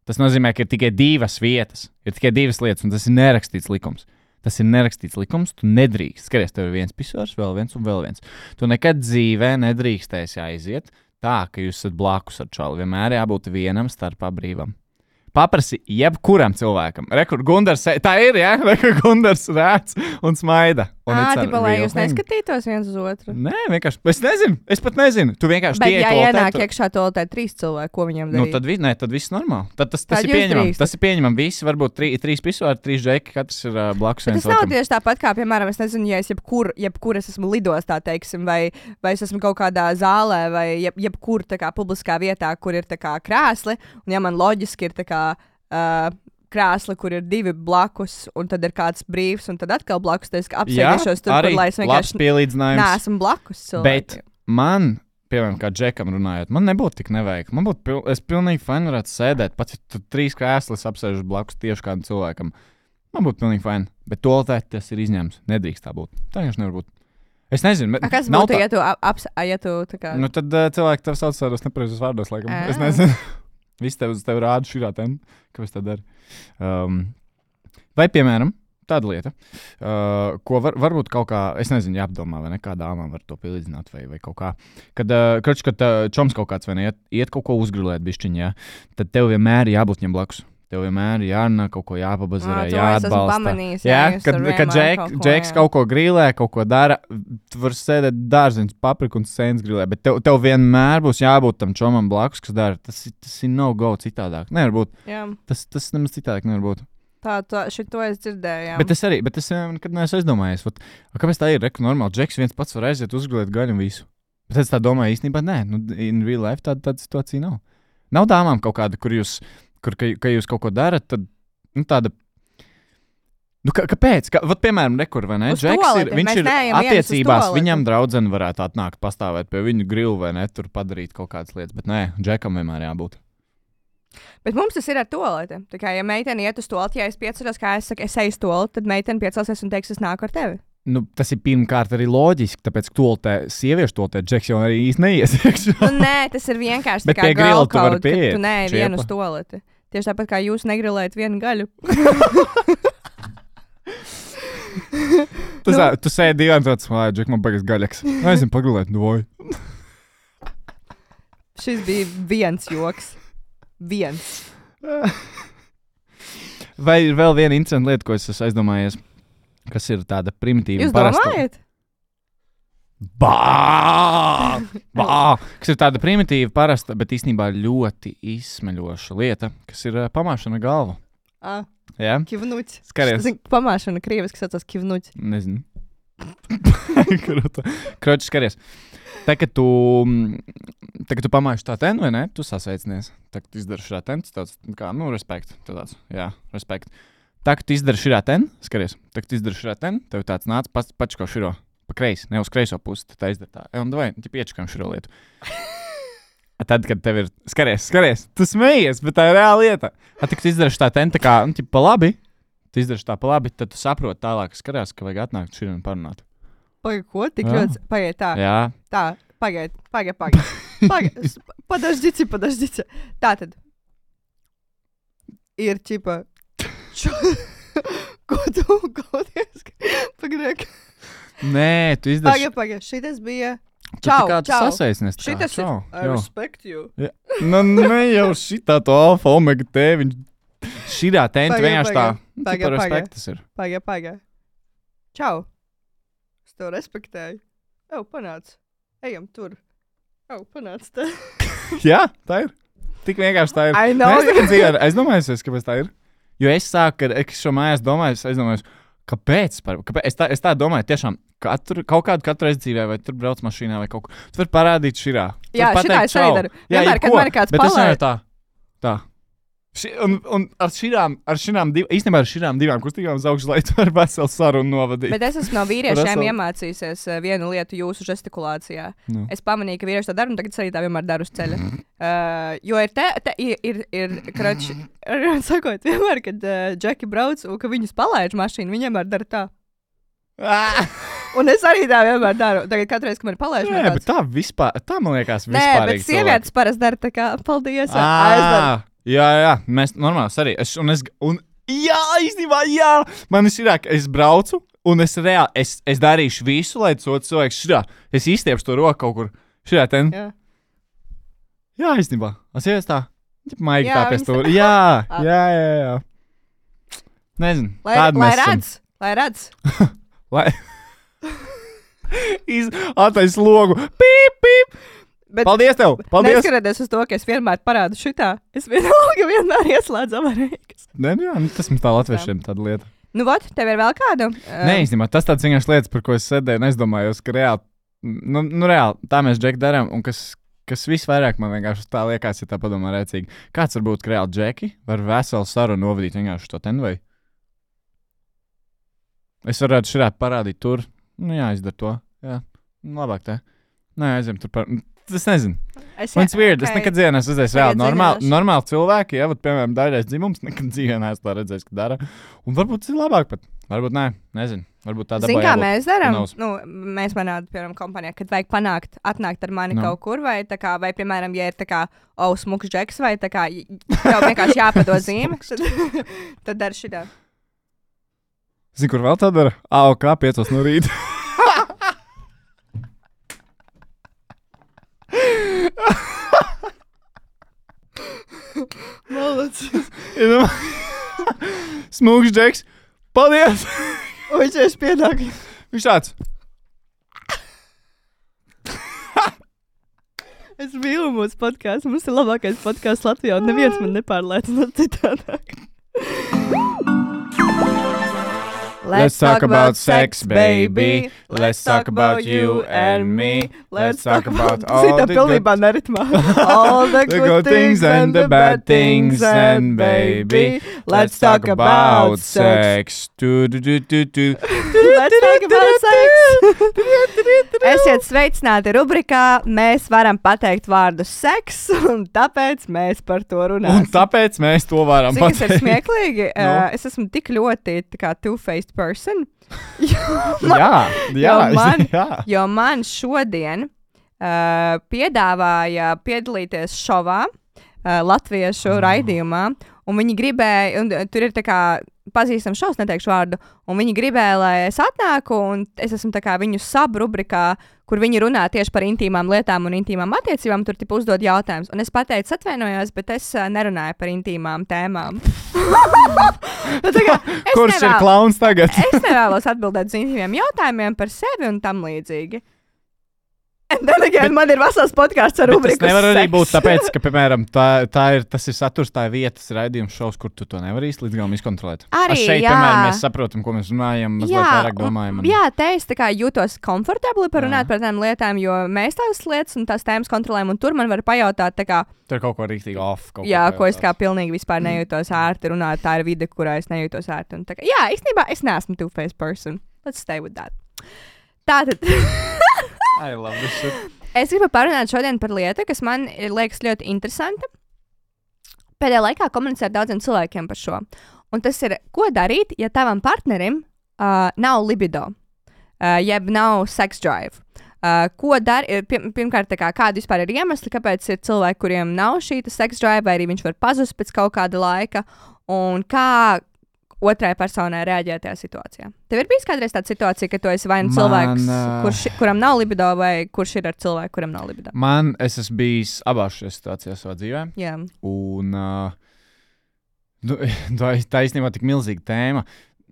Tas nozīmē, ka ir tikai 2 vietas, ir tikai 2 lietas, un tas ir nerakstīts likums. Tas ir nerakstīts likums, tu nedrīkst. Skaties, tev ir 1 pisuārs, vēl 1 un vēl 1. Tu nekad dzīvē nedrīkstēsi aiziet tā, ka jūs esat blakus ar čalu. Vienmēr jābūt vienam starpā brīvam. Paprasi jebkuram cilvēkam. Rekur Gundars, tā ir, jā? Rekur Gundars rēc un smaida. Tipa, lai jūs neskatītos viens uz otru. Nē, vienkārši, es pat nezinu. Tu vienkārši bet ja ienāk iekšā toaletē 3 cilvēki, ko viņiem darīt? Nu, tad viss normāli. Tas ir pieņemam. Tas ir pieņemam. Visi varbūt 3 pisuāri, 3 džeki, katrs ir blakus viens otram. Tas nav tieši tāpat kā, piemēram, es nezinu, ja es jebkur es esmu lidostā, teiksim, vai es esmu kaut kādā zālē, vai jebkur tā kā publiskā vietā, kur ir tā kā krēsli, un ja man loģiski ir tā kā krēsli, kur ir 2 blakus, un tad ir kāds brīvs, un tad atkal blakus, tad es apsēdīšos tur, kur, lai es vienkārši neesmu blakus cilvēkiem. Bet man, piemēram, kā džekam runājot, man nebūtu tik neveikli. Es pilnīgi fajn varētu sēdēt, pats ja tu 3 krēslis apsēžu blakus tieši kādam cilvēkam. Man būtu pilnīgi fajn. Bet toaletē tas ir izņēmums. Nedrīkst tā būt. Tā vienkārši nevar būt. Es nezinu. Kas nav būtu, tā... ja tu tā kā... Nu, tad cilvēki tev sauc tādos nepareizos vārdos, laikam. Es nezinu. Viss tev rāda šī ten. Kāpēc tā dara? Vai, piemēram, tāda lieta, ko varbūt kaut kā, es nezinu, jāapdomā, vai ne, kā dāmām var to pielīdzināt, vai kaut kā. Kad čoms kaut kāds, vai ne, iet kaut ko uzgrilēt bišķiņ, jā, tad tev vienmēr jābūt viņam blakus. Tev vienmēr jārunā, kaut ko jāpabazarē, jāatbalsta. Jā, kad Džeks kaut ko grīlē, kaut ko dara, tu vari sēdēt dārziņas, papriku un sēnes grīlē, bet tev vienmēr būs jābūt tam čomam blakus, kas dara. Tas ir no-go citādāk. Nevar būt. Jā. Tas nemaz citādāk nevar būt. Šito es dzirdēju, jā. Bet es nekad neesmu aizdomājies. Kāpēc tā ir? Normāli, Džeks viens pats var aiziet uzgulēt gaļu un visu. Bet es tā domāju, īstenībā nē. In real life tāda situācija nav. Nav dāmām kaut kāda, ka jūs kaut ko darat, tad tāda... Kāpēc? Piemēram, rekur, vai ne? Džeks viņš ir attiecībās, viņam draudzene varētu atnākt, pastāvēt pie viņu grilu, vai ne? Tur padarīt kaut kādas lietas. Bet nē, Džekam vienmēr jābūt. Bet mums tas ir ar toleti. Tā kā, ja meitene iet uz toleti, ja es pieceļos, kā es saku, es eju uz toleti, tad meitene piecelsies un teiks, es nāku ar tevi. Tas ir pirmkārt arī loģiski, tāpēc, ka toltē, sieviešu toltē, Džeks jau arī īsti neies. Nē, tas ir vienkārši tā kā girl code, ka tu neej vienu uz toleti. Tieši tāpat kā jūs negrilējat vienu gaļu. Tu sēdi divām tāds, lai Džek man baigas gaļaks. Aizim pagrilēt, vai. Šis bija viens joks. Viens. Vai ir vēl viena interesanta lieta, ko es esmu aizdomājies, kas ir tāda primitīva? Jūs domājat? Kas ir tāda primitīva, parasta, bet īstenībā ļoti izsmeļoša lieta, kas ir pamāšana galvu. Jā? Kivnuķi. Skaries. Pamāšana krieviski saucās kivnuķi. Nezinu. Kroči, skaries. Tā, kad tu pamājuši tā ten, vai ne? Tu sasveicinies. Tā, kad tu izdari šā ten, tāds, kā, respekt. Tāds, jā, respekt. Tā, kad tu izdari šā ten, skaries. Tā, kad tu izdari šā ten, tev tāds nāc pačko širo. Pa kreisi, ne uz kreiso pusi, tā izdara tā. Un davai, piečakam šo lietu. Tad, kad tev ir, skaries, tu smejies, bet tā ir reāla lieta. Tad, kad tu izdari tā ten, tā kā, pa labi, tad tu saproti tālāk, skarās, ka vajag atnākt šī un parunāt. Pagaid, ko? Tik ļoti, pagaid tā. Jā. Tā, pagaid. Подождите. Tātad. Ir čipa. Ko tu gaudies? Pagaid. Nē, tu izdari. Pagaid, šitas bija. Čau. Sasveicinies. Šitas ir. I respect you. Ja. Ne jau šitā to alfa omega T, viņš šitā tenta vienkārši tā. Pagaid. Tas ir. Pagaid. Čau. Es tev respektēju. Panāc. Ejam tur. Panāc te. Jā, tā ir. Tik vienkārši tā ir. I know. Es domāju, kāpēc tā ir. Jo es sāku, kad es šo mājās domāju, es domāju, kāpēc? Es tā domāju, tiešām katru reizi dzīvē, vai tur brauc mašīnā, vai kaut ko. Tu vari parādīt širā. Jā, šitā es arī daru. Vienmēr, kad man kāds palaiž. Tā. Un ar šīm divām kustīgām uz augšu, lai tu vari veselu sarunu novadīt. Bet es esmu no vīriešiem iemācījusies vienu lietu jūsu žestikulācijā. No. Es pamanīju, ka vīrieši to dara, un tagad arī tā vienmēr daru uz ceļa. Jo ir krači, sakot, vienmēr, kad Džeki brauc un ka viņus palaiž mašīnu, viņi vienmēr dara tā. Un es arī tā vienmēr daru. Tagad katru reizi, kad man palaiž. Nē, bet tā vispār, tā man liekas vispārīgi. Nē, bet sievietes parasti dara tā kā, paldies. Jā, mēs normāli arī. Jā, īstenībā, jā. Man ir ka es braucu, un es reāli, es darīšu visu, lai tas otrs cilvēks šitā. Es izstiepšu to roku kaut kur šitā ten. Jā, īstenībā. Es ies tā. Maigi tā pēc to. Jā. Nezinu. Lai redz. Lai. Atais logu. Pīp. Bet paldies tev! Paldies! Neskatoties uz to, ka es vienmēr parādu šitā, es vienmēr ieslēdzu avarēkas. Nē, tas mums tā latviešiem tāda lieta. Nu, vot, tev ir vēl kāda? Nē, īstenībā, tas tāds vienkārši lietas, par ko es sēdēju un aizdomājos, ka reāli, reāli, tā mēs Džeki darām, un kas visvairāk man vienkārši tā liekas, ja tā padomā rēcīgi. Kāds var būt, ka reāli Džeki var veselu sarunu novadīt vienkārši to ten vai? Es varētu širāt parādīt tur, jā, izdara to, jā, labāk te. Nē, aiziem tur es nezinu. Man tas weird, es nekad dzīvē neesmu redzējis reāli normāli cilvēki, ja, piemēram, daļais dzimums, nekad dzīvē neesmu tā redzējis, ka dara. Un varbūt tas ir labāk pat. Varbūt nē, nezinu. Varbūt tā dabā jābūt. Zini, kā mēs darām? Mēs manā, piemēram, kompānijā, kad vajag atnākt ar mani kaut kur, vai piemēram, ja ir tā kā, smuks džeks, vai tā kā, jau vienkārši jāpadod zīme, tad dar šitā. Zini, kur vēl tā dara? AOK 5 no rīta. Malacis. Smūgs džeks. Paldies! Viņš ir piedāk. Viņš tāds. Es mīlu mūsu podkāstu. Mums ir labākais podkāsts Latvijā, un neviens man nepārliecina citādāk. Let's talk about sex, baby. Let's talk about you and me. Let's talk about all the good things and the bad things, and baby, let's talk about sex. Let's talk about sex. Esiet sveicināti rubrikā. Mēs varam pateikt vārdu seks, un tāpēc mēs par to runāsim. Un tāpēc mēs to varam pateikt. Tas ir smieklīgi. Es esmu tik ļoti kā two-faced person. Jo man šodien piedāvāja piedalīties šovā, latviešu raidījumā, un viņi gribēja, un tur ir tā kā pazīstams šovs, neteikšu vārdu, un viņi gribēja, lai es atnāku, un es esmu tā kā viņu subrubrikā, kur viņi runā tieši par intīmām lietām un intīmām attiecībām, tur tipu uzdod jautājumus. Un es pateicu, atvainojos, bet es nerunāju par intīmām tēmām. Kurš ir klauns tagad? Es nevēlos atbildēt uz intīmiem jautājumiem par sevi un tam līdzīgi. Man ir vesels podkāsts ar rubriku. Tas nevar arī būt tāpēc, ka, piemēram, tas ir saturs, tā ir vietas raidījums šovs, kur tu to nevari īsti līdz galam izkontrolēt. Arī, šeit, piemēram, mēs saprotam, ko mēs runājam, mazliet vairāk domājam. Jā, te es tā kā jūtos komfortabli par runāt par tām lietām, jo mēs tās lietas un tās tēmas kontrolējam, un tur man var pajautāt, tā kā... Tur kaut ko rīktīgi off. Ko es kā pilnīgi vispār nejūtos ērti runāt, tā ir vide, kurā es nejūtos ērti. Un tā kā, jā, īstenībā es neesmu two-faced person. Let's stay with that. Tātad... I love this shit. Es gribu parunāt šodien par lietu, kas man liekas ļoti interesanta. Pēdējā laikā komunicēju ar daudziem cilvēkiem par šo. Un tas ir, ko darīt, ja tavam partnerim nav libido, jeb nav sex drive. Ko darīt? Pirmkārt, kādi vispār ir iemesli, kāpēc ir cilvēki, kuriem nav šī sex drive, vai arī viņš var pazust pēc kaut kāda laika, un kā otrai personai reaģēt tajā situācijā. Tev ir bijis kādreiz tāda situācija, ka tu esi vai nu cilvēks, kuram nav libido, vai kurš ir ar cilvēku, kuram nav libido? Es esmu bijis abās šajās situācijās savā dzīvē. Jā. Un tā īstenībā tik milzīga tēma.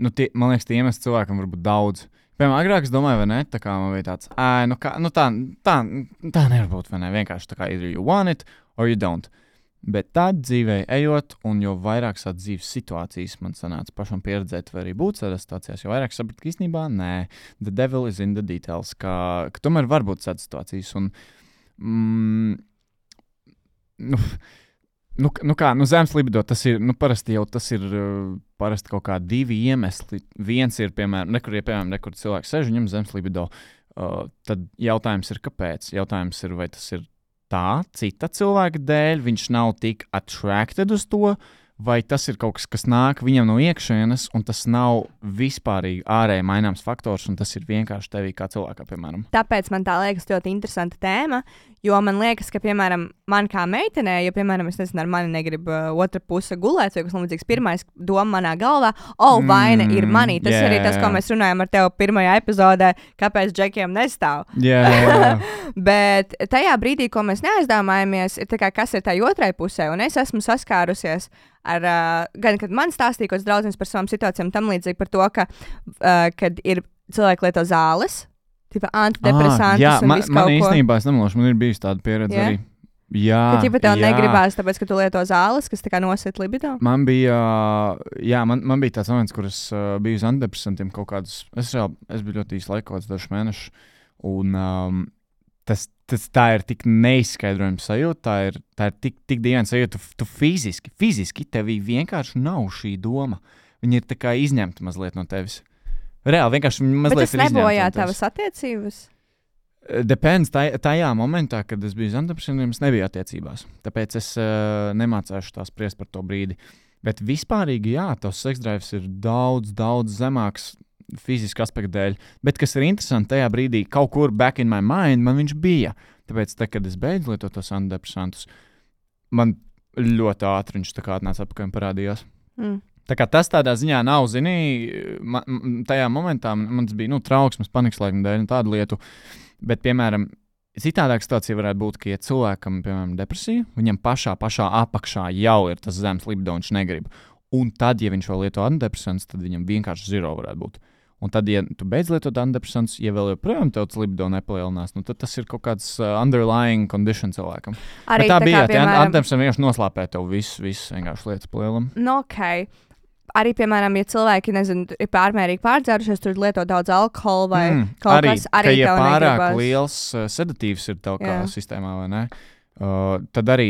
Man liekas, tie iemesli cilvēkam var būt daudz. Piemēram, agrāk es domāju, vai ne? Tā kā man bija tāds, tā nevar būt, vai ne? Vienkārši tā kā either you want it or you don't. Bet tad dzīvē ejot, un jo vairāk tādas dzīves situācijas man sanāca pašam pieredzēt, vai arī būt tādās situācijās, jo vairāk sapratu, ka īstenībā nē, the devil is in the details, ka tomēr var būt tādas situācijas. Un, zemes libido, tas ir, parasti jau tas ir parasti kaut kā divi iemesli. Viens ir, piemēram, nekur cilvēks sēž, viņam zemes libido, tad jautājums ir, kāpēc? Jautājums ir, vai tas ir tā cita cilvēka dēļ, viņš nav tik attracted uz to, vai tas ir kaut kas, kas nāk viņam no iekšienes, un tas nav vispārīgi ārēji maināms faktors, un tas ir vienkārši tevī kā cilvēkā, piemēram. Tāpēc man tā liekas ļoti interesanta tēma, jo man liekas, ka, piemēram, man kā meitenē, ja, piemēram, es nezinu, ar mani negrib otra puse gulēt, vai kas līdzīgs, pirmais doma manā galvā, vaina ir manī. Tas arī tas, ko mēs runājam ar tevi pirmajā epizodē, kāpēc džekiem nestāv. Yeah. Bet tajā brīdī, ko mēs neaizdomājamies, ir tā kā, kas ir tai otrai pusē, un es esmu saskārusies ar, gan, kad man stāstīja kaut kāds draudzens par savām situācijām, tam līdzīgi par to, ka, kad ir cilvēki lieto zāles, tipa antidepresantus un visu kaut ko. Man īstenībā, es nemelošu, man ir bijusi tāda pieredze arī. Jā, ka tipa tev negribās, tāpēc, ka tu lieto zāles, kas tā kā nosit libido? Man bija tāds moments, kur es biju uz antidepresantiem kaut kādus, es biju ļoti īsti laika, kaut kāds dažs mēnešus, un tā ir tik neizskaidrojama sajūta, tā ir tik dīvaina sajūta, tu fiziski tevī vienkārši nav šī doma. Viņa ir tā kā izņemta mazliet no tevis. Reāli, vienkārši mazliet ir izņemta. Bet tas nebojā tavas attiecības? Depends. Tajā momentā, kad es biju uz antidepresantiem, es nebiju attiecībās. Tāpēc es nemācēšu tā spriest par to brīdi. Bet vispārīgi, jā, tavs seksdrives ir daudz, daudz zemāks fiziski aspektu dēļ. Bet, kas ir interesanti, tajā brīdī kaut kur back in my mind man viņš bija. Tāpēc, kad es beidzu lietot tos antidepresantus, man ļoti ātri viņš tā kā atnāca atpakaļ un parādījās. Tā kā tas tādā ziņā nav, tajā momentā man bija trauksmes, panikas laikam dēļ un tādu lietu. Bet, piemēram, citādāk situācija varētu būt, ka, ja cilvēkam, piemēram, depresija, viņam pašā apakšā jau ir tas zemes libido, viņš negrib. Un tad, ja viņš vēl lieto antidepresantus, tad viņam vienkārši zero varētu būt. Un tad, ja tu beidz lietot antidepresantus, ja vēl joprojām tev tas libido nepalielinās, tad tas ir kaut kāds underlying condition cilvēkam. Arī bet tā bija, piemēram, antidepresanti vienkārši noslāpē tev visu vienkārši lietas palielinām. Okay. Arī, piemēram, ja cilvēki, ir pārmērīgi pārdzērušies, tur lieto daudz alkohola vai kaut kas, arī ja tev pārāk negribas. liels sedatīvs ir tev kā sistēmā, vai ne? Tad arī,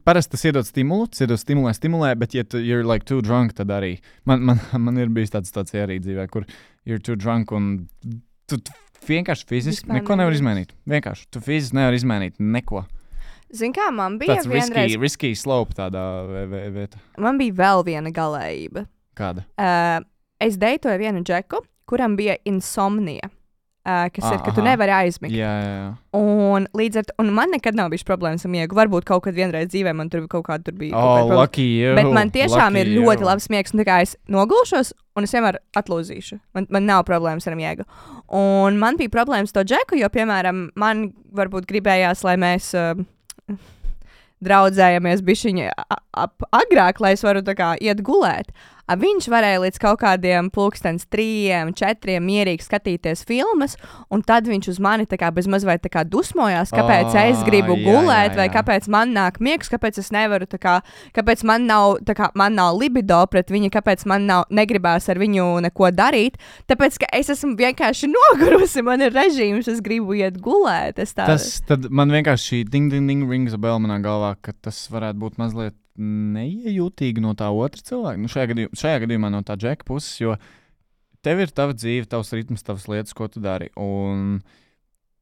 parasti tas iedod stimulē, bet ja you're like too drunk, tad arī. Man ir bijis tāds arī dzīvē, kur you're too drunk un tu vienkārši fiziski neko nevar izmainīt. Vienkārši, tu fiziski nevar izmainīt neko. Zini kā, man bija tāds vienreiz... risky slope tādā vietā. Man bija vēl viena galējība. Kāda? Es deitoju vienu džeku, kuram bija insomnija. Kas ir, ka tu nevari aizmigt. Jā. Un līdz ar to, un man nekad nav bijis problēmas ar miegu. Varbūt kaut kad vienreiz dzīvē man tur kaut kāda bija. Lucky you. Bet man tiešām ir ļoti labs miegs. Un tā kā es nogulšos, un es vienmēr atlūzīšu. Man nav problēmas ar miegu. Un man bija problēmas to džeku, jo, piemēram, man varbūt gribējās, lai mēs draudzējamies bišķiņi agrāk, lai es varu tā kā iet gulēt. Viņš varēja līdz kaut kādiem 3, 4 mierīgi skatīties filmas, un tad viņš uz mani tā kā bezmaz vai tā kā dusmojās, kāpēc es gribu gulēt, vai kāpēc man nāk miegs, kāpēc es nevaru tā kā, kāpēc man nav libido pret viņu, kāpēc man negribās ar viņu neko darīt, tāpēc, ka es esmu vienkārši nogurusi, man ir režīms, es gribu iet gulēt. Tad man vienkārši šī ding rings a bell manā galvā, ka tas varētu būt mazliet neiejūtīgi no tā otra cilvēka. Šajā gadījumā no tā džeka puses, jo tev ir tava dzīve, tavs ritms, tavas lietas, ko tu dari. Un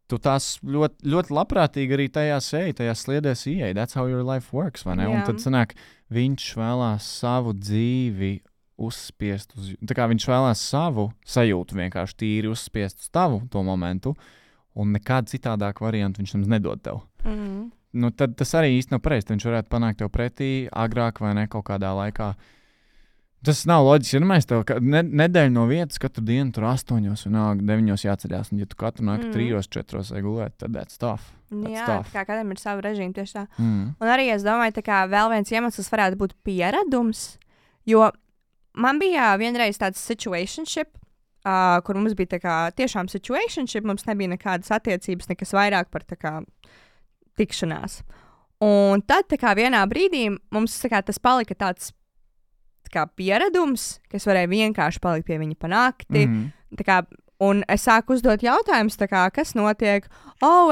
tu tās ļoti, ļoti labprātīgi arī tajās sliedēs ieej. That's how your life works, vai ne? Un tad sanāk, viņš vēlās savu dzīvi uzspiest uz... Tā kā viņš vēlās savu sajūtu vienkārši tīri uzspiest uz tavu to momentu, un nekādu citādāku variantu viņš mums nedod tev. Tad tas arī īsti nav pareizi. Viņš varētu panākt tev pretī agrāk vai ne kaut kādā laikā. Tas nav loģiski. Ja mēs tev nedēļu no vietas katru dienu tur 8 un 9 jāceļās. Un ja tu katru nakti 3, 4 vai gulēt, tad that's tough. Jā, kā kādam ir savu režīmu tieši tā. Un arī es domāju, tā kā vēl viens iemesls varētu būt pieredums. Jo man bija vienreiz tāds situationship, kur mums bija tā kā tiešām situationship, mums nebija nekādas attiecības, nekas vairāk par tā kā tikšanās. Un tad tā kā vienā brīdī mums tā kā tas palika tāds tā kā pieredums, ka es varēju vienkārši palikt pie viņa pa nakti. Tā kā, un es sāku uzdot jautājumus, tā kā, kas notiek?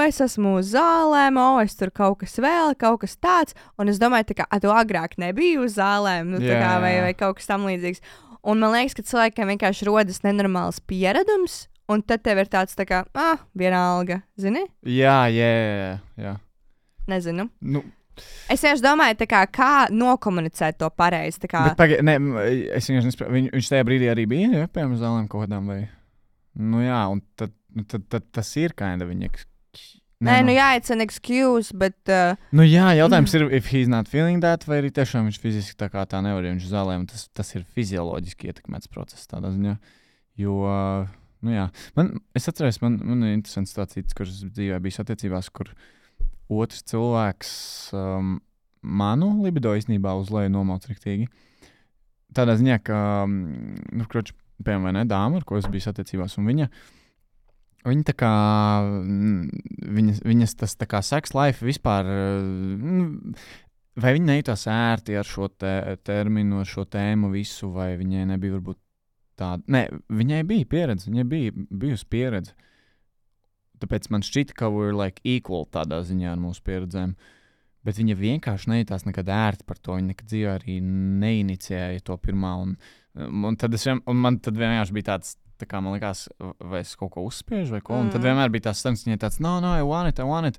Es esmu uz zālēm, es tur kaut kas vēl, kaut kas tāds. Un es domāju, tā kā, tu agrāk nebija uz zālēm, tā kā, vai kaut kas tam līdzīgs. Un man liekas, ka cilvēkiem vienkārši rodas nenormāls pieredums, un tad tev ir tāds tā kā, vienalga, zini? Jā. Nezinu. Es vienkārši domāju, kā nokomunicēt to pareizi. Bet es vienkārši nespēju. Viņš tajā brīdī arī bija, piemēram, zālēm kaut kādām vai... Jā, un tad tas ir kinda viņa... It's an excuse, bet... jautājums ir, if he's not feeling that, vai arī tiešām viņš fiziski tā kā tā nevar, ja viņš zālēm, tas ir fizioloģiski ietekmēts process tādā ziņā. Jo, es atceros, man ir interesants situācijas, kuras dzīvē bijis attiecībās, kur otrs cilvēks manu libido īstenībā uzlēja nomauc riktīgi. Tādā ziņā, ka, piemēram, vai ne, dāma, ar ko es biju attiecībās, un viņa tā kā, viņas tas tā kā sex life vispār, vai viņa nejūtās ērti ar šo terminu, ar šo tēmu visu, vai viņai nebija varbūt tāda, viņai bija pieredze, viņai bijusi pieredze. Tāpēc man šķita, ka we're like equal tādā ziņā ar mūsu pieredzēm. Bet viņa vienkārši nejūtās nekad ērti par to. Viņa nekad dzīvē arī neiniciēja to pirmā. Un tad man vienkārši bija tāds, tā kā man likās, vai es kaut ko uzspiežu vai ko, un tad vienmēr bija tās sarunas, viņai tāds, no, I want it.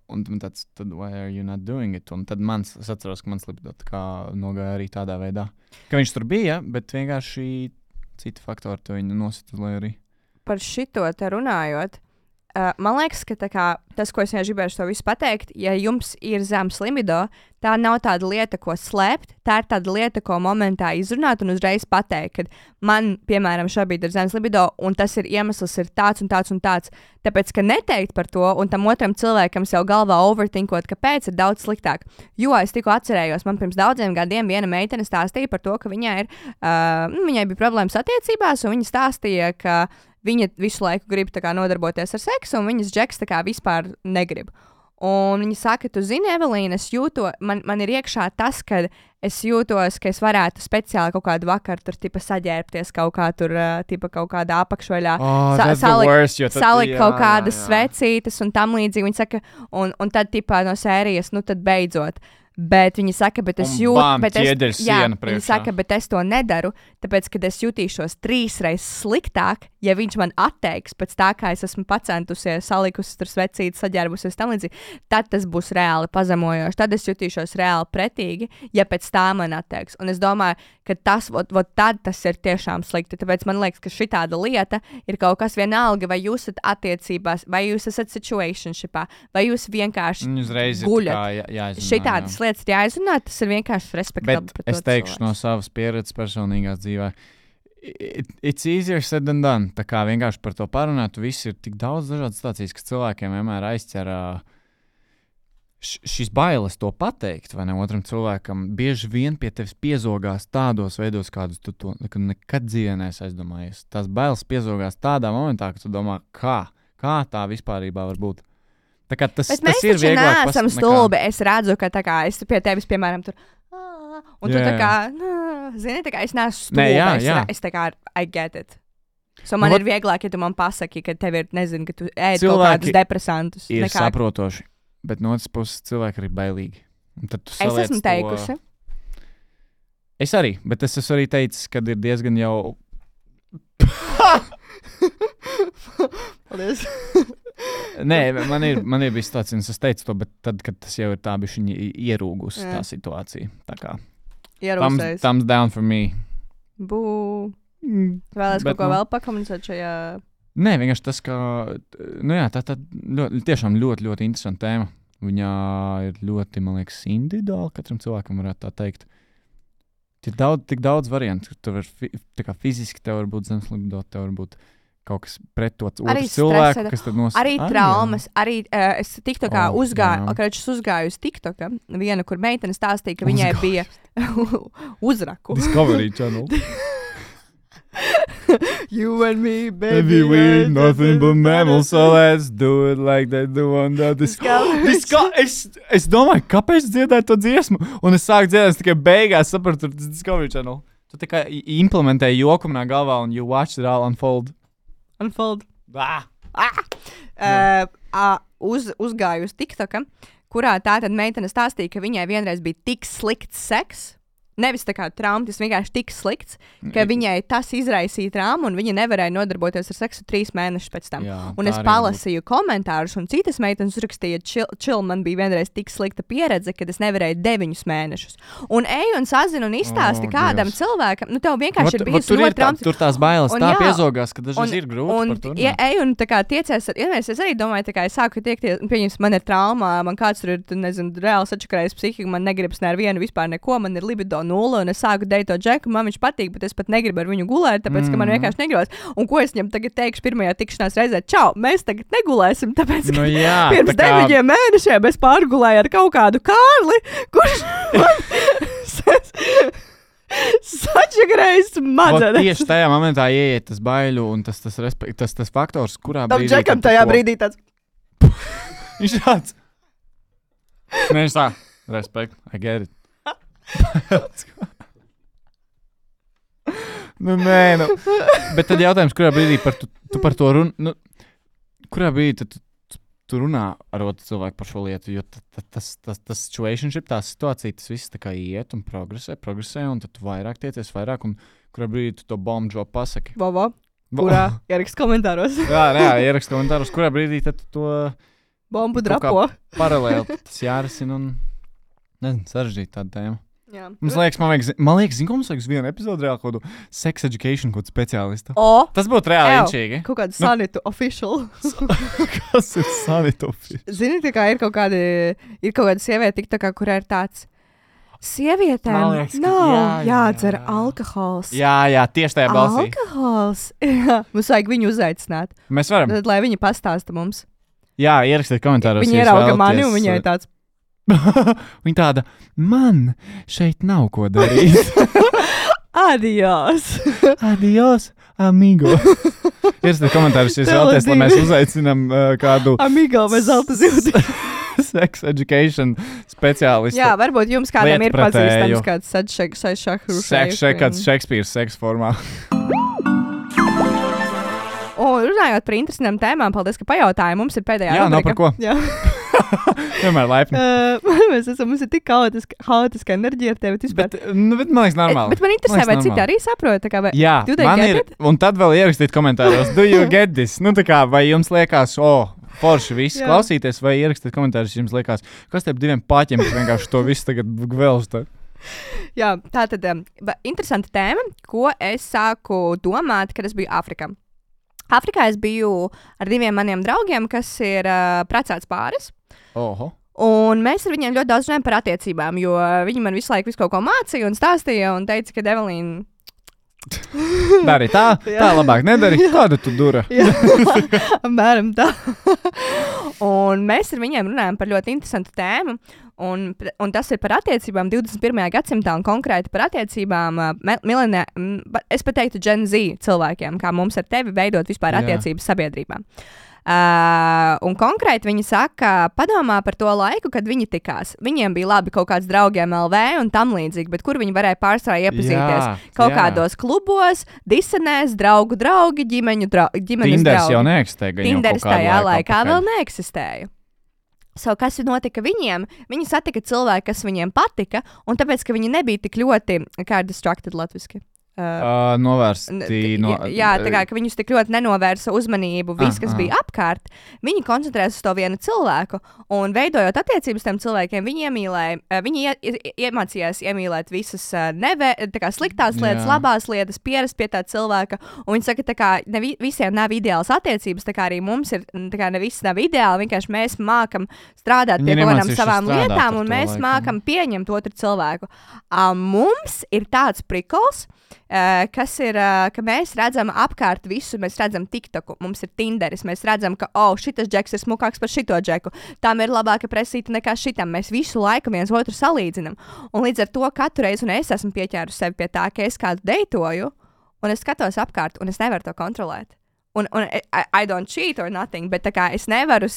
Un man tāds, tad why are you not doing it? Un tad es atceros, ka mans libido tā kā nogāja arī tādā veidā, ka viņš tur bija, bet vienkārši citi faktori to viņu nosita, lai arī. Par šito te runājot, man liekas, ka tā kā, tas, ko es vienkārši gribēju to visu pateikt, ja jums ir zems libido, tā nav tāda lieta, ko slēpt, tā ir tāda lieta, ko momentā izrunāt un uzreiz pateikt, ka man, piemēram, šobrīd ir zems libido, un tas ir iemesls ir tāds un tāds un tāds. Tāpēc, ka neteikt par to, un tam otram cilvēkam jau galvā overthinkot, kāpēc ir daudz sliktāk. Jo es tikko atcerējos, man pirms daudziem gadiem viena meitene stāstīja par to, ka viņai bija problēmas attiecībās, un viņa stāstīja, ka viņa visu laiku grib kā, nodarboties ar seksu, un viņas džeks kā, vispār negrib. Un viņa saka, tu zini, Evelīna, es jūtos, man ir iekšā tas, ka es jūtos, ka es varētu speciāli kaut kādu vakaru tur saģērbties kaut kā tur, kaut kādā apakšveļā, salikt kaut kādas svecītes un tam līdzīgi. Viņa saka, un tad tipā no sērijas, nu tad beidzot. Bet viņi saka, bet es jūtu, viņi saka, bet es to nedaru, tāpēc, ka es jutīšos 3 reizes sliktāk, ja viņš man atteiks pēc tā, kā es esmu pacentusies, salikusi tur svecīti, saģērbusies tam līdzīgi, tad tas būs reāli pazemojoši, tad es jutīšos reāli pretīgi, ja pēc tā man atteiks. Un es domāju, ka tad tas ir tiešām slikti, tāpēc man liekas, ka šitāda lieta ir kaut kas vienalga, vai jūs esat attiecībās, vai jūs esat situationshipā, vai jūs vienkārši guļat. Šitādas lietas ir jāizrunā, tas ir vienkārši respektabli. Bet es teikšu no savas pieredzes personīgās dzīvē, it's easier said than done. Tā kā vienkārši par to parunāt, viss ir tik daudz dažādas situācijas, ka cilvēkiem vienmēr aizķer šīs bailes to pateikt, vai ne otram cilvēkam. Bieži vien pie tevis piezogās tādos veidos, kādus tu to nekad dzīvē neesi aizdomājies. Tās bailes piezogās tādā momentā, ka tu domā, kā tā vispārībā var būt. Tā kā tas ir vieglāk. Bet mēs taču neesam stulbi. Es redzu, ka tā kā es pie tevis, piemēram, tur, un tu tā kā, zini, tā kā es neesmu stulbi. Es tā kā, I get it. So man ir vieglāk, ja tu man pasaki, ka tev ir, nezinu, ka tu ēd kaut kādus depresantus. Ir saprotoši, bet no otras puses cilvēki ir bailīgi. Es esmu teikusi. Es arī, bet es esmu arī teicis, kad ir diezgan jau... Paldies. Nē, man ir bijis tāds, un es teicu to, bet tad, kad tas jau ir tā bišķiņi ierūgusi tā situācija. Tā kā thumbs down for me. Bū. Vēlēs kaut ko vēl pakomunicēt šajā? Nē, vienkārši tas, ka, tā tiešām ļoti, ļoti interesanta tēma. Viņā ir ļoti, man liekas, individuāli, katram cilvēkam varētu tā teikt. Tik daudz variantu, tur var fiziski tev var būt zemes libido, tev var būt kaut kas pret to otru cilvēku, kas tad nosaka. Arī traumas, arī es TikTokā uzgāju uz TikToka, viena, kur meitene stāstīja, ka viņai bija uzraku. Discovery Channel. You and me, baby, we're nothing but mammals, so let's do it like they do on the Es domāju, kāpēc dziedāju to dziesmu, un es sāku dziedāt, es tikai beigās sapratu, tas Discovery Channel. Tu tikai implementēji joku manā galvā, un you watched it all unfold. Uzgāju uz TikToka, kurā tātad meitene stāstīja, ka viņai vienreiz bija tik slikts seks, nevis tā kā trauma, tas vienkārši tik slikts, ka viņai tas izraisīja traumu, un viņa nevarēja nodarboties ar seksu 3 mēnešus pēc tam. Un es palasīju komentārus, un citas meitenes uzrakstīja, chill, man bija vienreiz tik slikta pieredze, kad es nevarēju 9 mēnešus. Un ej un sazinu un izstāsti kādam cilvēkam, nu tev vienkārši ir bijusi ļoti traumatiski. Tur tās bailes tā piezogās, ka dažreiz ir grūti par to. Ej un tā kā tiecies, es arī domāju, tā kā es sāku tiekties, pieņems, man ir trauma, man kāds tur ir, nezinu, reāli sačakarējis psihiku, man negribas ne ar vienu vispār neko, man ir libido 0, un es sāku deito džeku, man viņš patīk, bet es pat negribu ar viņu gulēt, tāpēc, ka man vienkārši negribas. Un ko es viņam tagad teikšu pirmajā tikšanās reizē? Čau, mēs tagad negulēsim, tāpēc, ka pirms 9 mēnešiem es pārgulēju ar kaut kādu Kārli, kurš man sačakarējis smadzenes. Tieši tajā momentā ieiet tas baiļu un tas faktors, kurā brīdī... Tam džekam tajā brīdī tāds... Viņš tāds... Nē, viņš tā. Respekt, I get it. Bet tad jautājums, kurā brīdī tu par to runā, kurā brīdī tu runā ar otru cilvēku par šo lietu, jo tas situationship, tā situācija, tas viss tā kā iet un progresē, un tad tu vairāk tiecies, un kurā brīdī tu to bomb drop pasaki. kurā ierakst komentāros. jā, ierakst komentāros, kurā brīdī tad tu to Bombu drapo. paralēli tas jārisina un, nezinu, sarežģīt tādu tēmu. Jā. Man liekas, zinu, ko mums vajag uz vienu epizodu reāli kaut kādu sex education, kaut kādu speciālistu. Tas būtu reāli inčīgi. Kaut kādu sanitu official. Kas ir sanitu official? Zini, tā kā ir kaut kāda sieviete TikTokā, kurā ir tāds sievietēm nav jādzer alkohols. Jā, tieši tajā balsī. Alkohols. Jā, mums vajag viņu uzaicināt. Mēs varam. Tad, lai viņi pastāsta mums. Jā, ierakstiet komentāros. Viņi ierauga mani un viņai tāds. Viņa tāda, man šeit nav ko darīt. Adios. Adios, amigo. Ierakstiet komentāros, ja jūs vēlaties, lai mēs uzaicinām kādu amigo vai zelta zilti. sex education speciālistu. Jā, varbūt jums kādam ir pazīstams kāds kāds Šekspīrs seksa formā. Un runājot par interesantām tēmām, paldies, ka pajautāji. Mums ir pēdējā rubrika. Jā, nav par ko. Jā. Vienmēr laipni. Mums ir tik haotiska enerģija ar tevi. Bet man liekas normāli. Bet man interesē, vai citi arī saprot. Jā, man ir. Un tad vēl ierakstīt komentāros, do you get this? Vai jums liekas, forši viss klausīties, vai ierakstīt komentārus, jums liekas, kas tev diviem paķiem vienkārši to visu tagad gvelsta? Jā, tā tad interesanta tēma, ko es sāku domāt, kad es biju Āfrikā. Āfrikā es biju ar diviem maniem draugiem, kas ir precēts pāris. Oho. Un mēs ar viņiem ļoti daudz runājam par attiecībām, jo viņi man visu laiku kaut ko mācīja un stāstīja un teica, ka Evelīna... Dari tā labāk nedari. Kāda tu dura? Mēram tā. Un mēs ar viņiem runājam par ļoti interesantu tēmu. Un tas ir par attiecībām 21. gadsimtā un konkrēti par attiecībām es pat teiktu Gen Z cilvēkiem, kā mums ar tevi veidot vispār attiecības sabiedrībā. Un konkrēti viņi saka, padomā par to laiku, kad viņi tikās. Viņiem bija labi kaut kāds draugiem LV un tam līdzīgi, bet kur viņi varēja pārsvarā iepazīties? Kādos klubos, disenēs, draugi, ģimenes draugi. Tinders jau neeksistēja. Tinders tajā laikā vēl neeksistēja. Kas notika viņiem? Viņi satika cilvēku, kas viņiem patika, un tāpēc, ka viņi nebija tik ļoti, kā ir distracted latviski. Novērsti. Jā, tā kā viņus tik ļoti nenovērsa uzmanību, viss, kas bija apkārt. Viņi koncentrējās uz to vienu cilvēku, un veidojot attiecības tam cilvēkiem, viņi iemācījās iemīlēt visas sliktās lietas, labās lietas, pierast pie tā cilvēka. Un viņi saka, ka visiem nav ideāls attiecības, tā kā arī mums ir, ne viss nav ideāli, vienkārši mēs mākam strādāt pie kādām savām lietām, un mēs mākam pieņemt otru cilvēku. Mums ir tāds prikols, kas ir, ka mēs redzam apkārt visu, mēs redzam TikToku, mums ir Tinderis, mēs redzam, ka, šitas džeks ir smukāks par šito džeku, tam ir labāka presīta nekā šitam, mēs visu laiku viens otru salīdzinam, un līdz ar to katru reizi, un es esmu pieķērusi sevi pie tā, ka es kādu deitoju, un es skatos apkārt, un es nevaru to kontrolēt. Un I don't cheat or nothing, bet tā kā es nevaru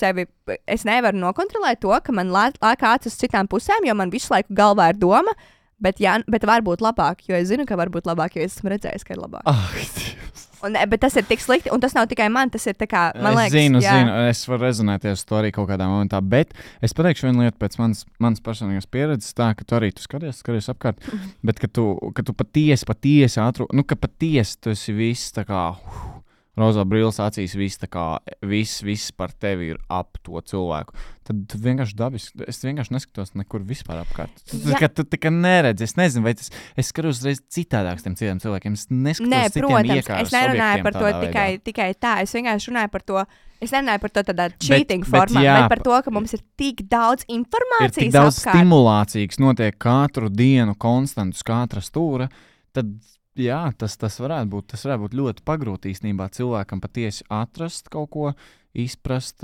nokontrolēt to, ka man lāk acis uz citām pusēm, jo man visu laiku galvā ir doma, bet var būt labāk, jo es zinu, ka var būt labāk, jo es esmu redzējis, ka ir labāk. Bet tas ir tik slikti, un tas nav tikai man, tas ir tā kā, man liekas. Zinu, es varu rezonēties to arī kaut kādā momentā, bet es pateikšu vienu lietu pēc manas personīgās pieredzes, tā, ka tu arī skaties apkārt, bet ka tu patiesi ātru, ka patiesi tu esi viss tā kā, rozā brilles acīs, viss par tevi ir ap to cilvēku. Tad vienkārši dabiski, es vienkārši neskatos nekur vispār apkārt. Tu tikai neredzi, es nezinu, vai es skatos reiz citādāk tiem citiem cilvēkiem, es neskatos citiem iekāras es nerunāju par to tikai tā, es vienkārši runāju par to, es nerunāju par to tādā cheating formā, bet par to, ka mums ir tik daudz informācijas apkārt. Ir tik daudz stimulācijas notiek katru dienu konstantus katra stūra, tad jā, tas varētu būt ļoti pagrūti īstenībā cilvēkam patiesi atrast kaut ko, izprast,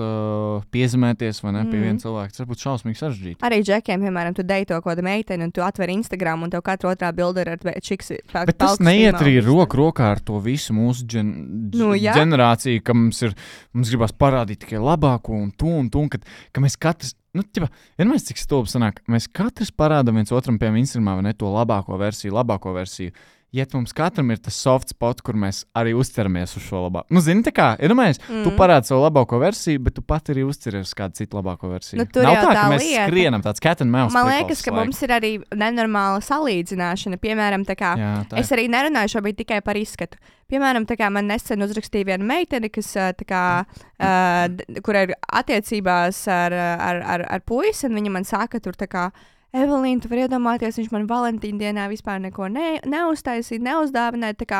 piezemēties vai ne pie viena cilvēka. Tas var būt šausmīgi sarežģīti. Arī džekiem, piemēram, tu deito kādu meiteni un tu atver Instagram un tev katra otrā bilde ir ar čiksi. Bet tas neiet arī rokā ar to visu mūsu ģenerāciju, ka mums gribas parādīt tikai labāko un ka mēs katrs, vienmēr cik stulbi sanāk, mēs katrs parādam viens otram, piemēram, Instagramā vai ne to labāko versiju. ja mums katram ir tas soft spot, kur mēs arī uzceramies uz šo labāko. Nu, zini, tā kā, iedomājies, tu parādi savu labāko versiju, bet tu pat arī uzceries uz kādu citu labāko versiju. Nu, tur nav jau tā, tā ka mēs lieta. skrienam tāds cat and mouse. Man liekas, ka mums ir arī nenormāla salīdzināšana. Piemēram, tā kā es arī nerunāju šobrīd tikai par izskatu. Piemēram, tā kā man nesen uzrakstīja viena meitene, kas, kur ir attiecībās ar puisi, un viņa man saka, tur tā kā, Evelīna, tu vari iedomāties, viņš man Valentīna dienā vispār neko neuztaisīja, neuzdāvināja, tā kā,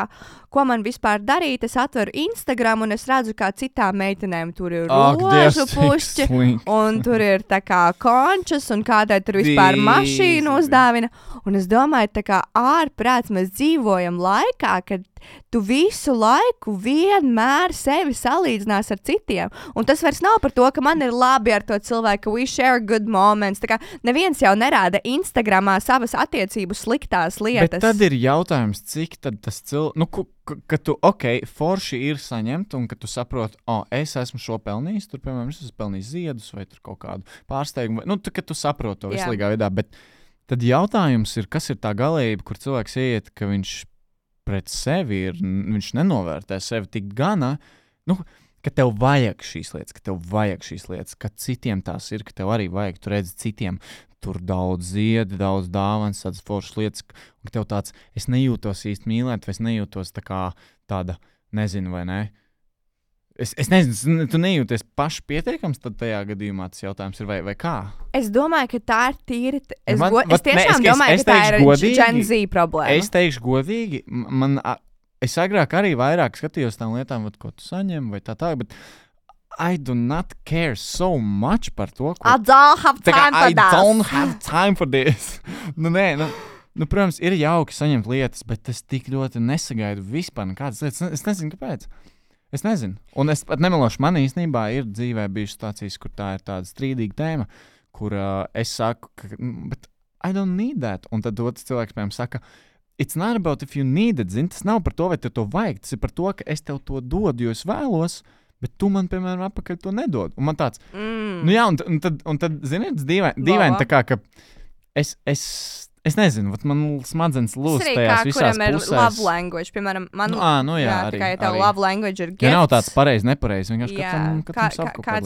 ko man vispār darīt, es atveru Instagram un es redzu, kā citām meitenēm tur ir rožu pušķi, un tur ir tā kā končas, un kādai tur vispār mašīnu uzdāvina, un es domāju, tā kā ārprāts mēs dzīvojam laikā, kad tu visu laiku vienmēr sevi salīdzinās ar citiem. Un tas vairs nav par to, ka man ir labi ar to cilvēku, ka we share good moments. Tā kā neviens jau nerāda Instagramā savas attiecību sliktās lietas. Bet tad ir jautājums, cik tad tas cilvēks, ka tu, forši ir saņemt, un ka tu saproti, es esmu šo pelnījis, tur, piemēram, es esmu pelnījis ziedus vai tur kaut kādu pārsteigumu. Ka tu saproti to vislīgā veidā. Bet tad jautājums ir, kas ir tā galība, kur cilvēks iet, ka viņš pret sevi viņš nenovērtē sevi tik gana, ka tev vajag šīs lietas, ka citiem tās ir, ka tev arī vajag, tu redzi citiem, tur daudz ziedi, daudz dāvanas, tādas foršas lietas, un ka tev tāds, es nejūtos īsti mīlēt, vai es nejūtos tā kā tāda, nezinu vai ne. Es nezinu, tu nejūties paši pietiekams, tad tajā gadījumā tas jautājums ir, vai kā? Es domāju, ka tā ir tīri. Es tiešām domāju, ka tā ir Gen Z problēma. Es teikšu godīgi, es agrāk arī vairāk skatījos tām lietām, ko tu saņem, vai tā, bet I do not care so much par to, ko... I don't have time for that. I don't have time for this. Protams, ir jauki saņemt lietas, bet es tik ļoti nesagaidu vispār nekādas lietas. Es nezinu, kāpēc. Es nezinu. Un es pat nemelošu, man īstenībā ir dzīvē bijušas situācijas, kur tā ir tāda strīdīga tēma, kur es saku, but I don't need that. Un tad otrs cilvēks, piemēram, saka, it's not about if you need it, zini, tas nav par to, vai tev to vajag, tas ir par to, ka es tev to dodu, jo es vēlos, bet tu man, piemēram, apakaļ to nedod. Un man tāds, un tad zini, dīvaini tā kā, ka es nezinu, man smadzenes lūst tajās visās pusēs. Kuram ir love language, piemēram, man, arī, tā kā tev love language ir gifts. Ja nav tāds pareizi, nepareizi, vienkārši kāds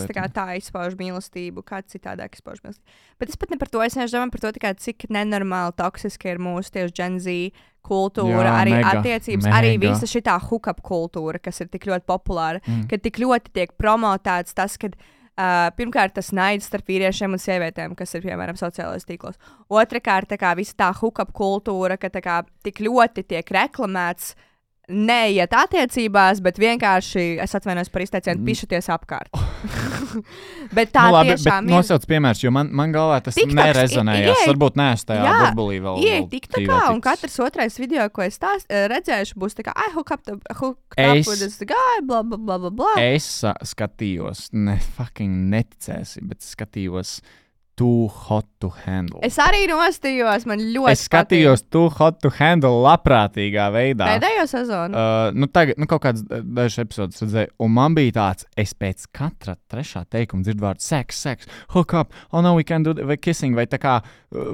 tā kā tā izpauž mīlestību, kāds citādāk izpauž mīlestību. Bet es pat ne par to, es domāju par to, tā kā, cik nenormāli toksiski ir mūsu tieši Gen Z kultūra, arī attiecības, arī visa šitā hookup kultūra, kas ir tik ļoti populāra, kad tik ļoti tiek promotēts tas, kad pirmkārt, tas naids starp vīriešiem un sievietēm, kas ir, piemēram, sociālajos tīklos. Otrakārt, tā kā visa tā hookup kultūra, ka tā kā tik ļoti tiek reklamēts, neiet attiecībās, bet vienkārši, es atvainojos par izteicienu, pišaties apkārt. Bet tā tiešām ir. Nosauc piemērs, jo man galvā tas nerezonējās. Varbūt neesmu tajā burbulī vēl. Ieej TikTokā, un katrs otrais video, ko es redzēšu, būs tā kā, I hook up with this guy, bla, bla, bla, bla, bla. Es skatījos, neticēsi, bet skatījos Too Hot to Handle. Es arī nostījos, man ļoti Es skatījos Too Hot to Handle labprātīgā veidā. Pēdējo sezonu? Tagad, kaut kāds dažs epizodes redzēju, un man bija tāds, es pēc katra trešā teikuma dzirdu vārdu sex, hook up, oh no, we can do, vai kissing, vai tā kā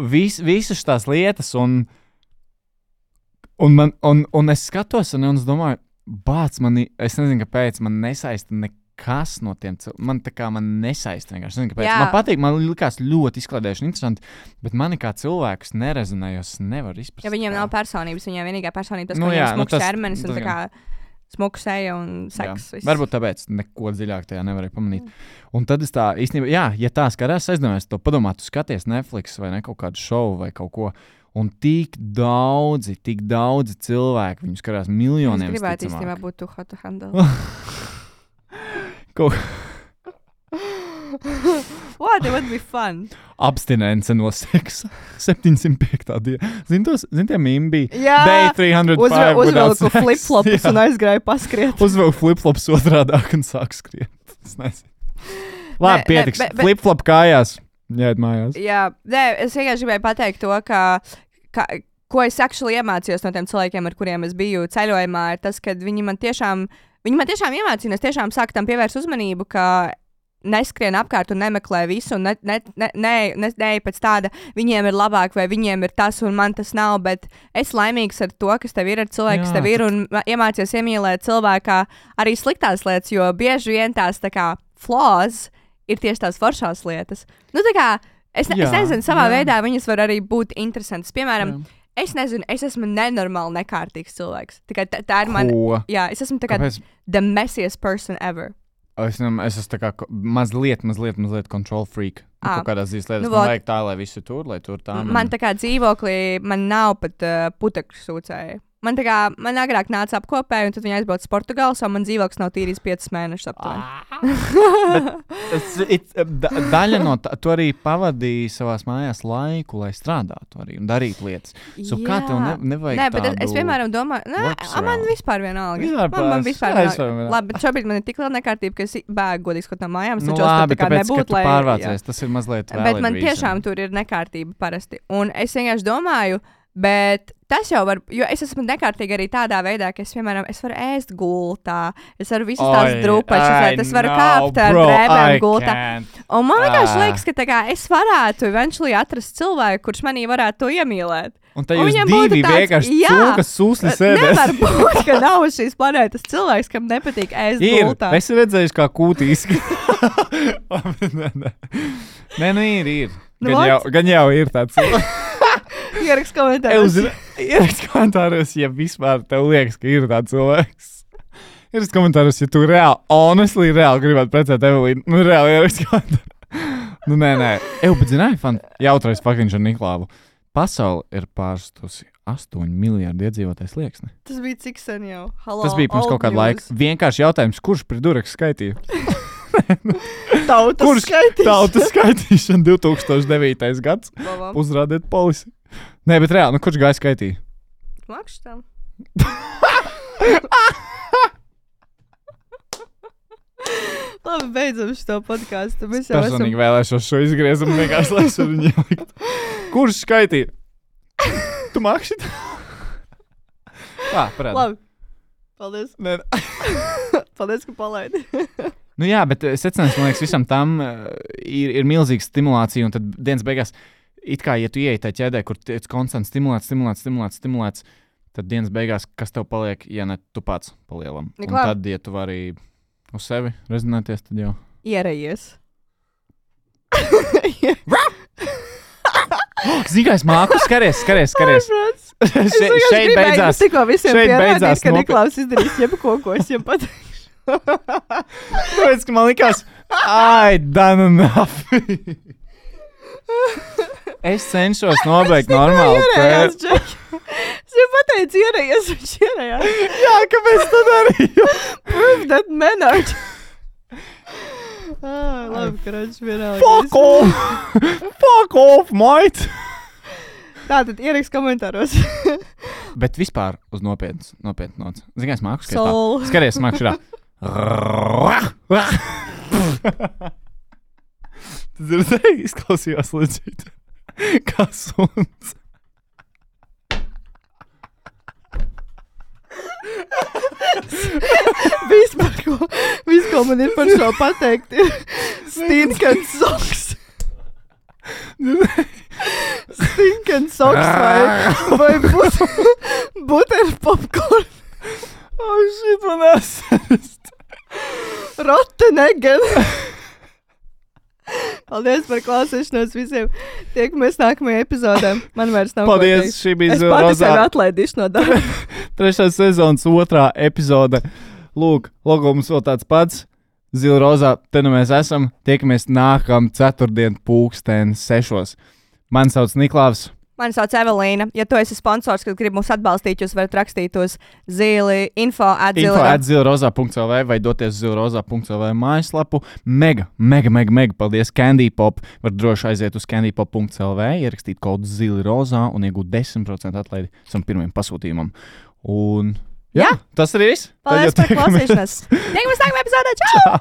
visas tās lietas, un es skatos, un es domāju, es nezinu, kāpēc man nesaista nekas no tiem man tā kā man nesaista vienkārši. Nezinu, kāpēc. Man patīk, man likās ļoti izklaidējuši un interesanti, bet mani kā cilvēkus nerezonēja, es nevaru izprast. Ja viņiem nav personības, viņiem vienīgā personība tas, ka viņiem smuks ķermenis un tā kā smuku seja un seks. Varbūt tāpēc neko dziļāk tajā nevarēja pamanīt. Un tad es tā īstenībā, ja tā skatās, aizdomājies to padomāt, tu skaties Netflix vai ne kaut kādu šovu vai kaut ko, un tik daudzi cilvēki, viņu skatās miljoniem. Es gribētu īstenībā būt Too Hot to Handle. What? It would be fun. Abstinence no seksa. 705. diena. Zini, tie mīmi bija? Jā. Day 305 uzvelku flip-flops un aizgrāju paskriet. Uzvelku flip-flops otrādāk un sāk skriet. Es nezinu. Labi, pietiks. Flip-flop kājās. Jāiet mājās. Jā. Es vienkārši gribēju pateikt to, ka ko es actually iemācījos no tiem cilvēkiem, ar kuriem es biju ceļojumā, ir tas, ka viņi man tiešām iemācīja, es tiešām sāku tam pievērst uzmanību, ka neskrien apkārt un nemeklē visu, un ne pēc tāda, viņiem ir labāk, vai viņiem ir tas, un man tas nav, bet es laimīgs ar to, kas tev ir, ar cilvēku, kas tev ir, un iemācies iemīlēt cilvēkā arī sliktās lietas, jo bieži vien tās tā kā flaws ir tieši tās foršās lietas. Nu, tā kā, es nezinu, savā veidā viņas var arī būt interesantas. Piemēram, es nezinu, es esmu nenormāli nekārtīgs cilvēks. Tā ir man, es esmu tā kā the messiest person ever. Es esmu tā kā mazliet control freak. Kaut kādās dzīves lietas. Man vajag tā, lai visi tur, lai tur tā. Man tā kā dzīvoklī, man nav pat putekļu sūcēji. Man agrāk nāca apkopēji, un tad viņi aizbrauca uz Portugāli, un man dzīvoklis nav tīrījis 5 mēnešus aptuveni. Daļa no tā, tu arī pavadīji savās mājās laiku, lai strādātu arī un darītu lietas. Kā tev nevajag tādu? Bet es vienmēr domāju, man vispār vienalga. Man vispār vienalga. Labi, bet šobrīd man ir tik liela nekārtība, ka es bēgu godīgi kaut no mājām. Es labi, tāpēc, ka tu pārvācies, tas ir mazliet valid bet man tiešām tur ir nekārtība parasti. Un es vienkārši domāju, bet tas jau var, jo es esmu nekārtīga arī tādā veidā, ka es, piemēram, varu ēst gultā, es varu visas tās drupačas, es varu kāpt ar drēbēm gultā. Un man vienkārši liekas, ka tā kā es varētu eventually atrast cilvēku, kurš manī varētu to iemīlēt. Un tad jūs divi vienkārši cūkas sūsli sēdēs. Nevar būt, ka nav šīs planētas cilvēks, kam nepatīk ēst gultā. Es redzējuši, kā kūtīski. Nē, ir. Gan jau ir tāds cilvēks. Ierakst komentāros, ja vispār tev liekas, ka ir tāds cilvēks. Ierakst komentāros, ja tu reāli gribētu precēt Evelīnu. Reāli ierakst komentāros. Nē. Bet zināji, jautrais faktiņš ar Niklāvu. Pasaule ir pārstusi 8 miljardi iedzīvotājs slieksni. Tas bija cik sen jau? Tas bija pirms kaut kāda laika. Vienkārši jautājums, kurš pret dureks skaitīja? Tautas skaitīšana 2009. gads. Uzrādiet polisi. Nē, bet reāli, kurš gāja skaitīja? Makšs tam. Labi, beidzam šo podcastu. Es personīgi vēlēšos šo izgriezumu vienkārši, lai es viņu ielikt. Kurš skaitīja? Tu makši? Parādi. Labi. Paldies. Paldies, ka palaidi. Jā, bet secinājums, man liekas, visam tam ir milzīga stimulācija, un tad dienas beigās, it kā, ja tu ieej tā ķēdē, kur tiec konstants stimulēts, tad dienas beigās, kas tev paliek, ja ne tu pats palielam. Un tad, ja tu vari uz sevi rezinēties, tad jau. Ierējies. Zini, kā es māku? Skaries. Šeit beidzās. Tikko visiem pierādīt, ka Niklaus izdarīs jebko, ko es viņam pateikšu. Tāpēc, ka man likās, done enough. Es cenšos nobeigt normāli. Es jau pateicu, ierējies, viņš ierējās. Jā, kāpēc tu darīju? Prove that manner. Labi, karoči, vienalga. Fuck off, mate! Tātad ierakst komentāros. Bet vispār uz nopietnas nots. Zini, kā es māku skaitīt? Skaties, māku šurā. Tu dzirdēji, izklausījās leģīt. Kā suns. Viss, ko man ir par šo pateikt, ir stinkant soks. Stinkant soks vai butter popcorn. Shit, man esast. Rotten eggen. Paldies par klausīšanos visiem. Tiekamies nākamajā epizodē. Man vairs nav paldies, šī bija Zila Rozā. Es pati sevi atlaidīšu no darba. 3. sezonas 2. epizode. Lūk, logo mums vēl tāds pats. Zila Rozā, te nu mēs esam. Tiekamies nākam ceturtdien 6:00. Mani sauc Niklāvs. Mani sauc Evelīna. Ja tu esi sponsors, kad grib mūs atbalstīt, jūs varat rakstīt uz info@zilroza.lv vai doties zilroza.lv mājaslapu. Mega paldies Candy Pop. Var droši aiziet uz candypop.lv, ierakstīt kodu Zilroza un iegūt 10% atlaidi savam pirmajam pasūtījumam. Un jā, tas arī viss. Paldies par klausīšanos. Tiekamies nākamajā epizodē. Čau!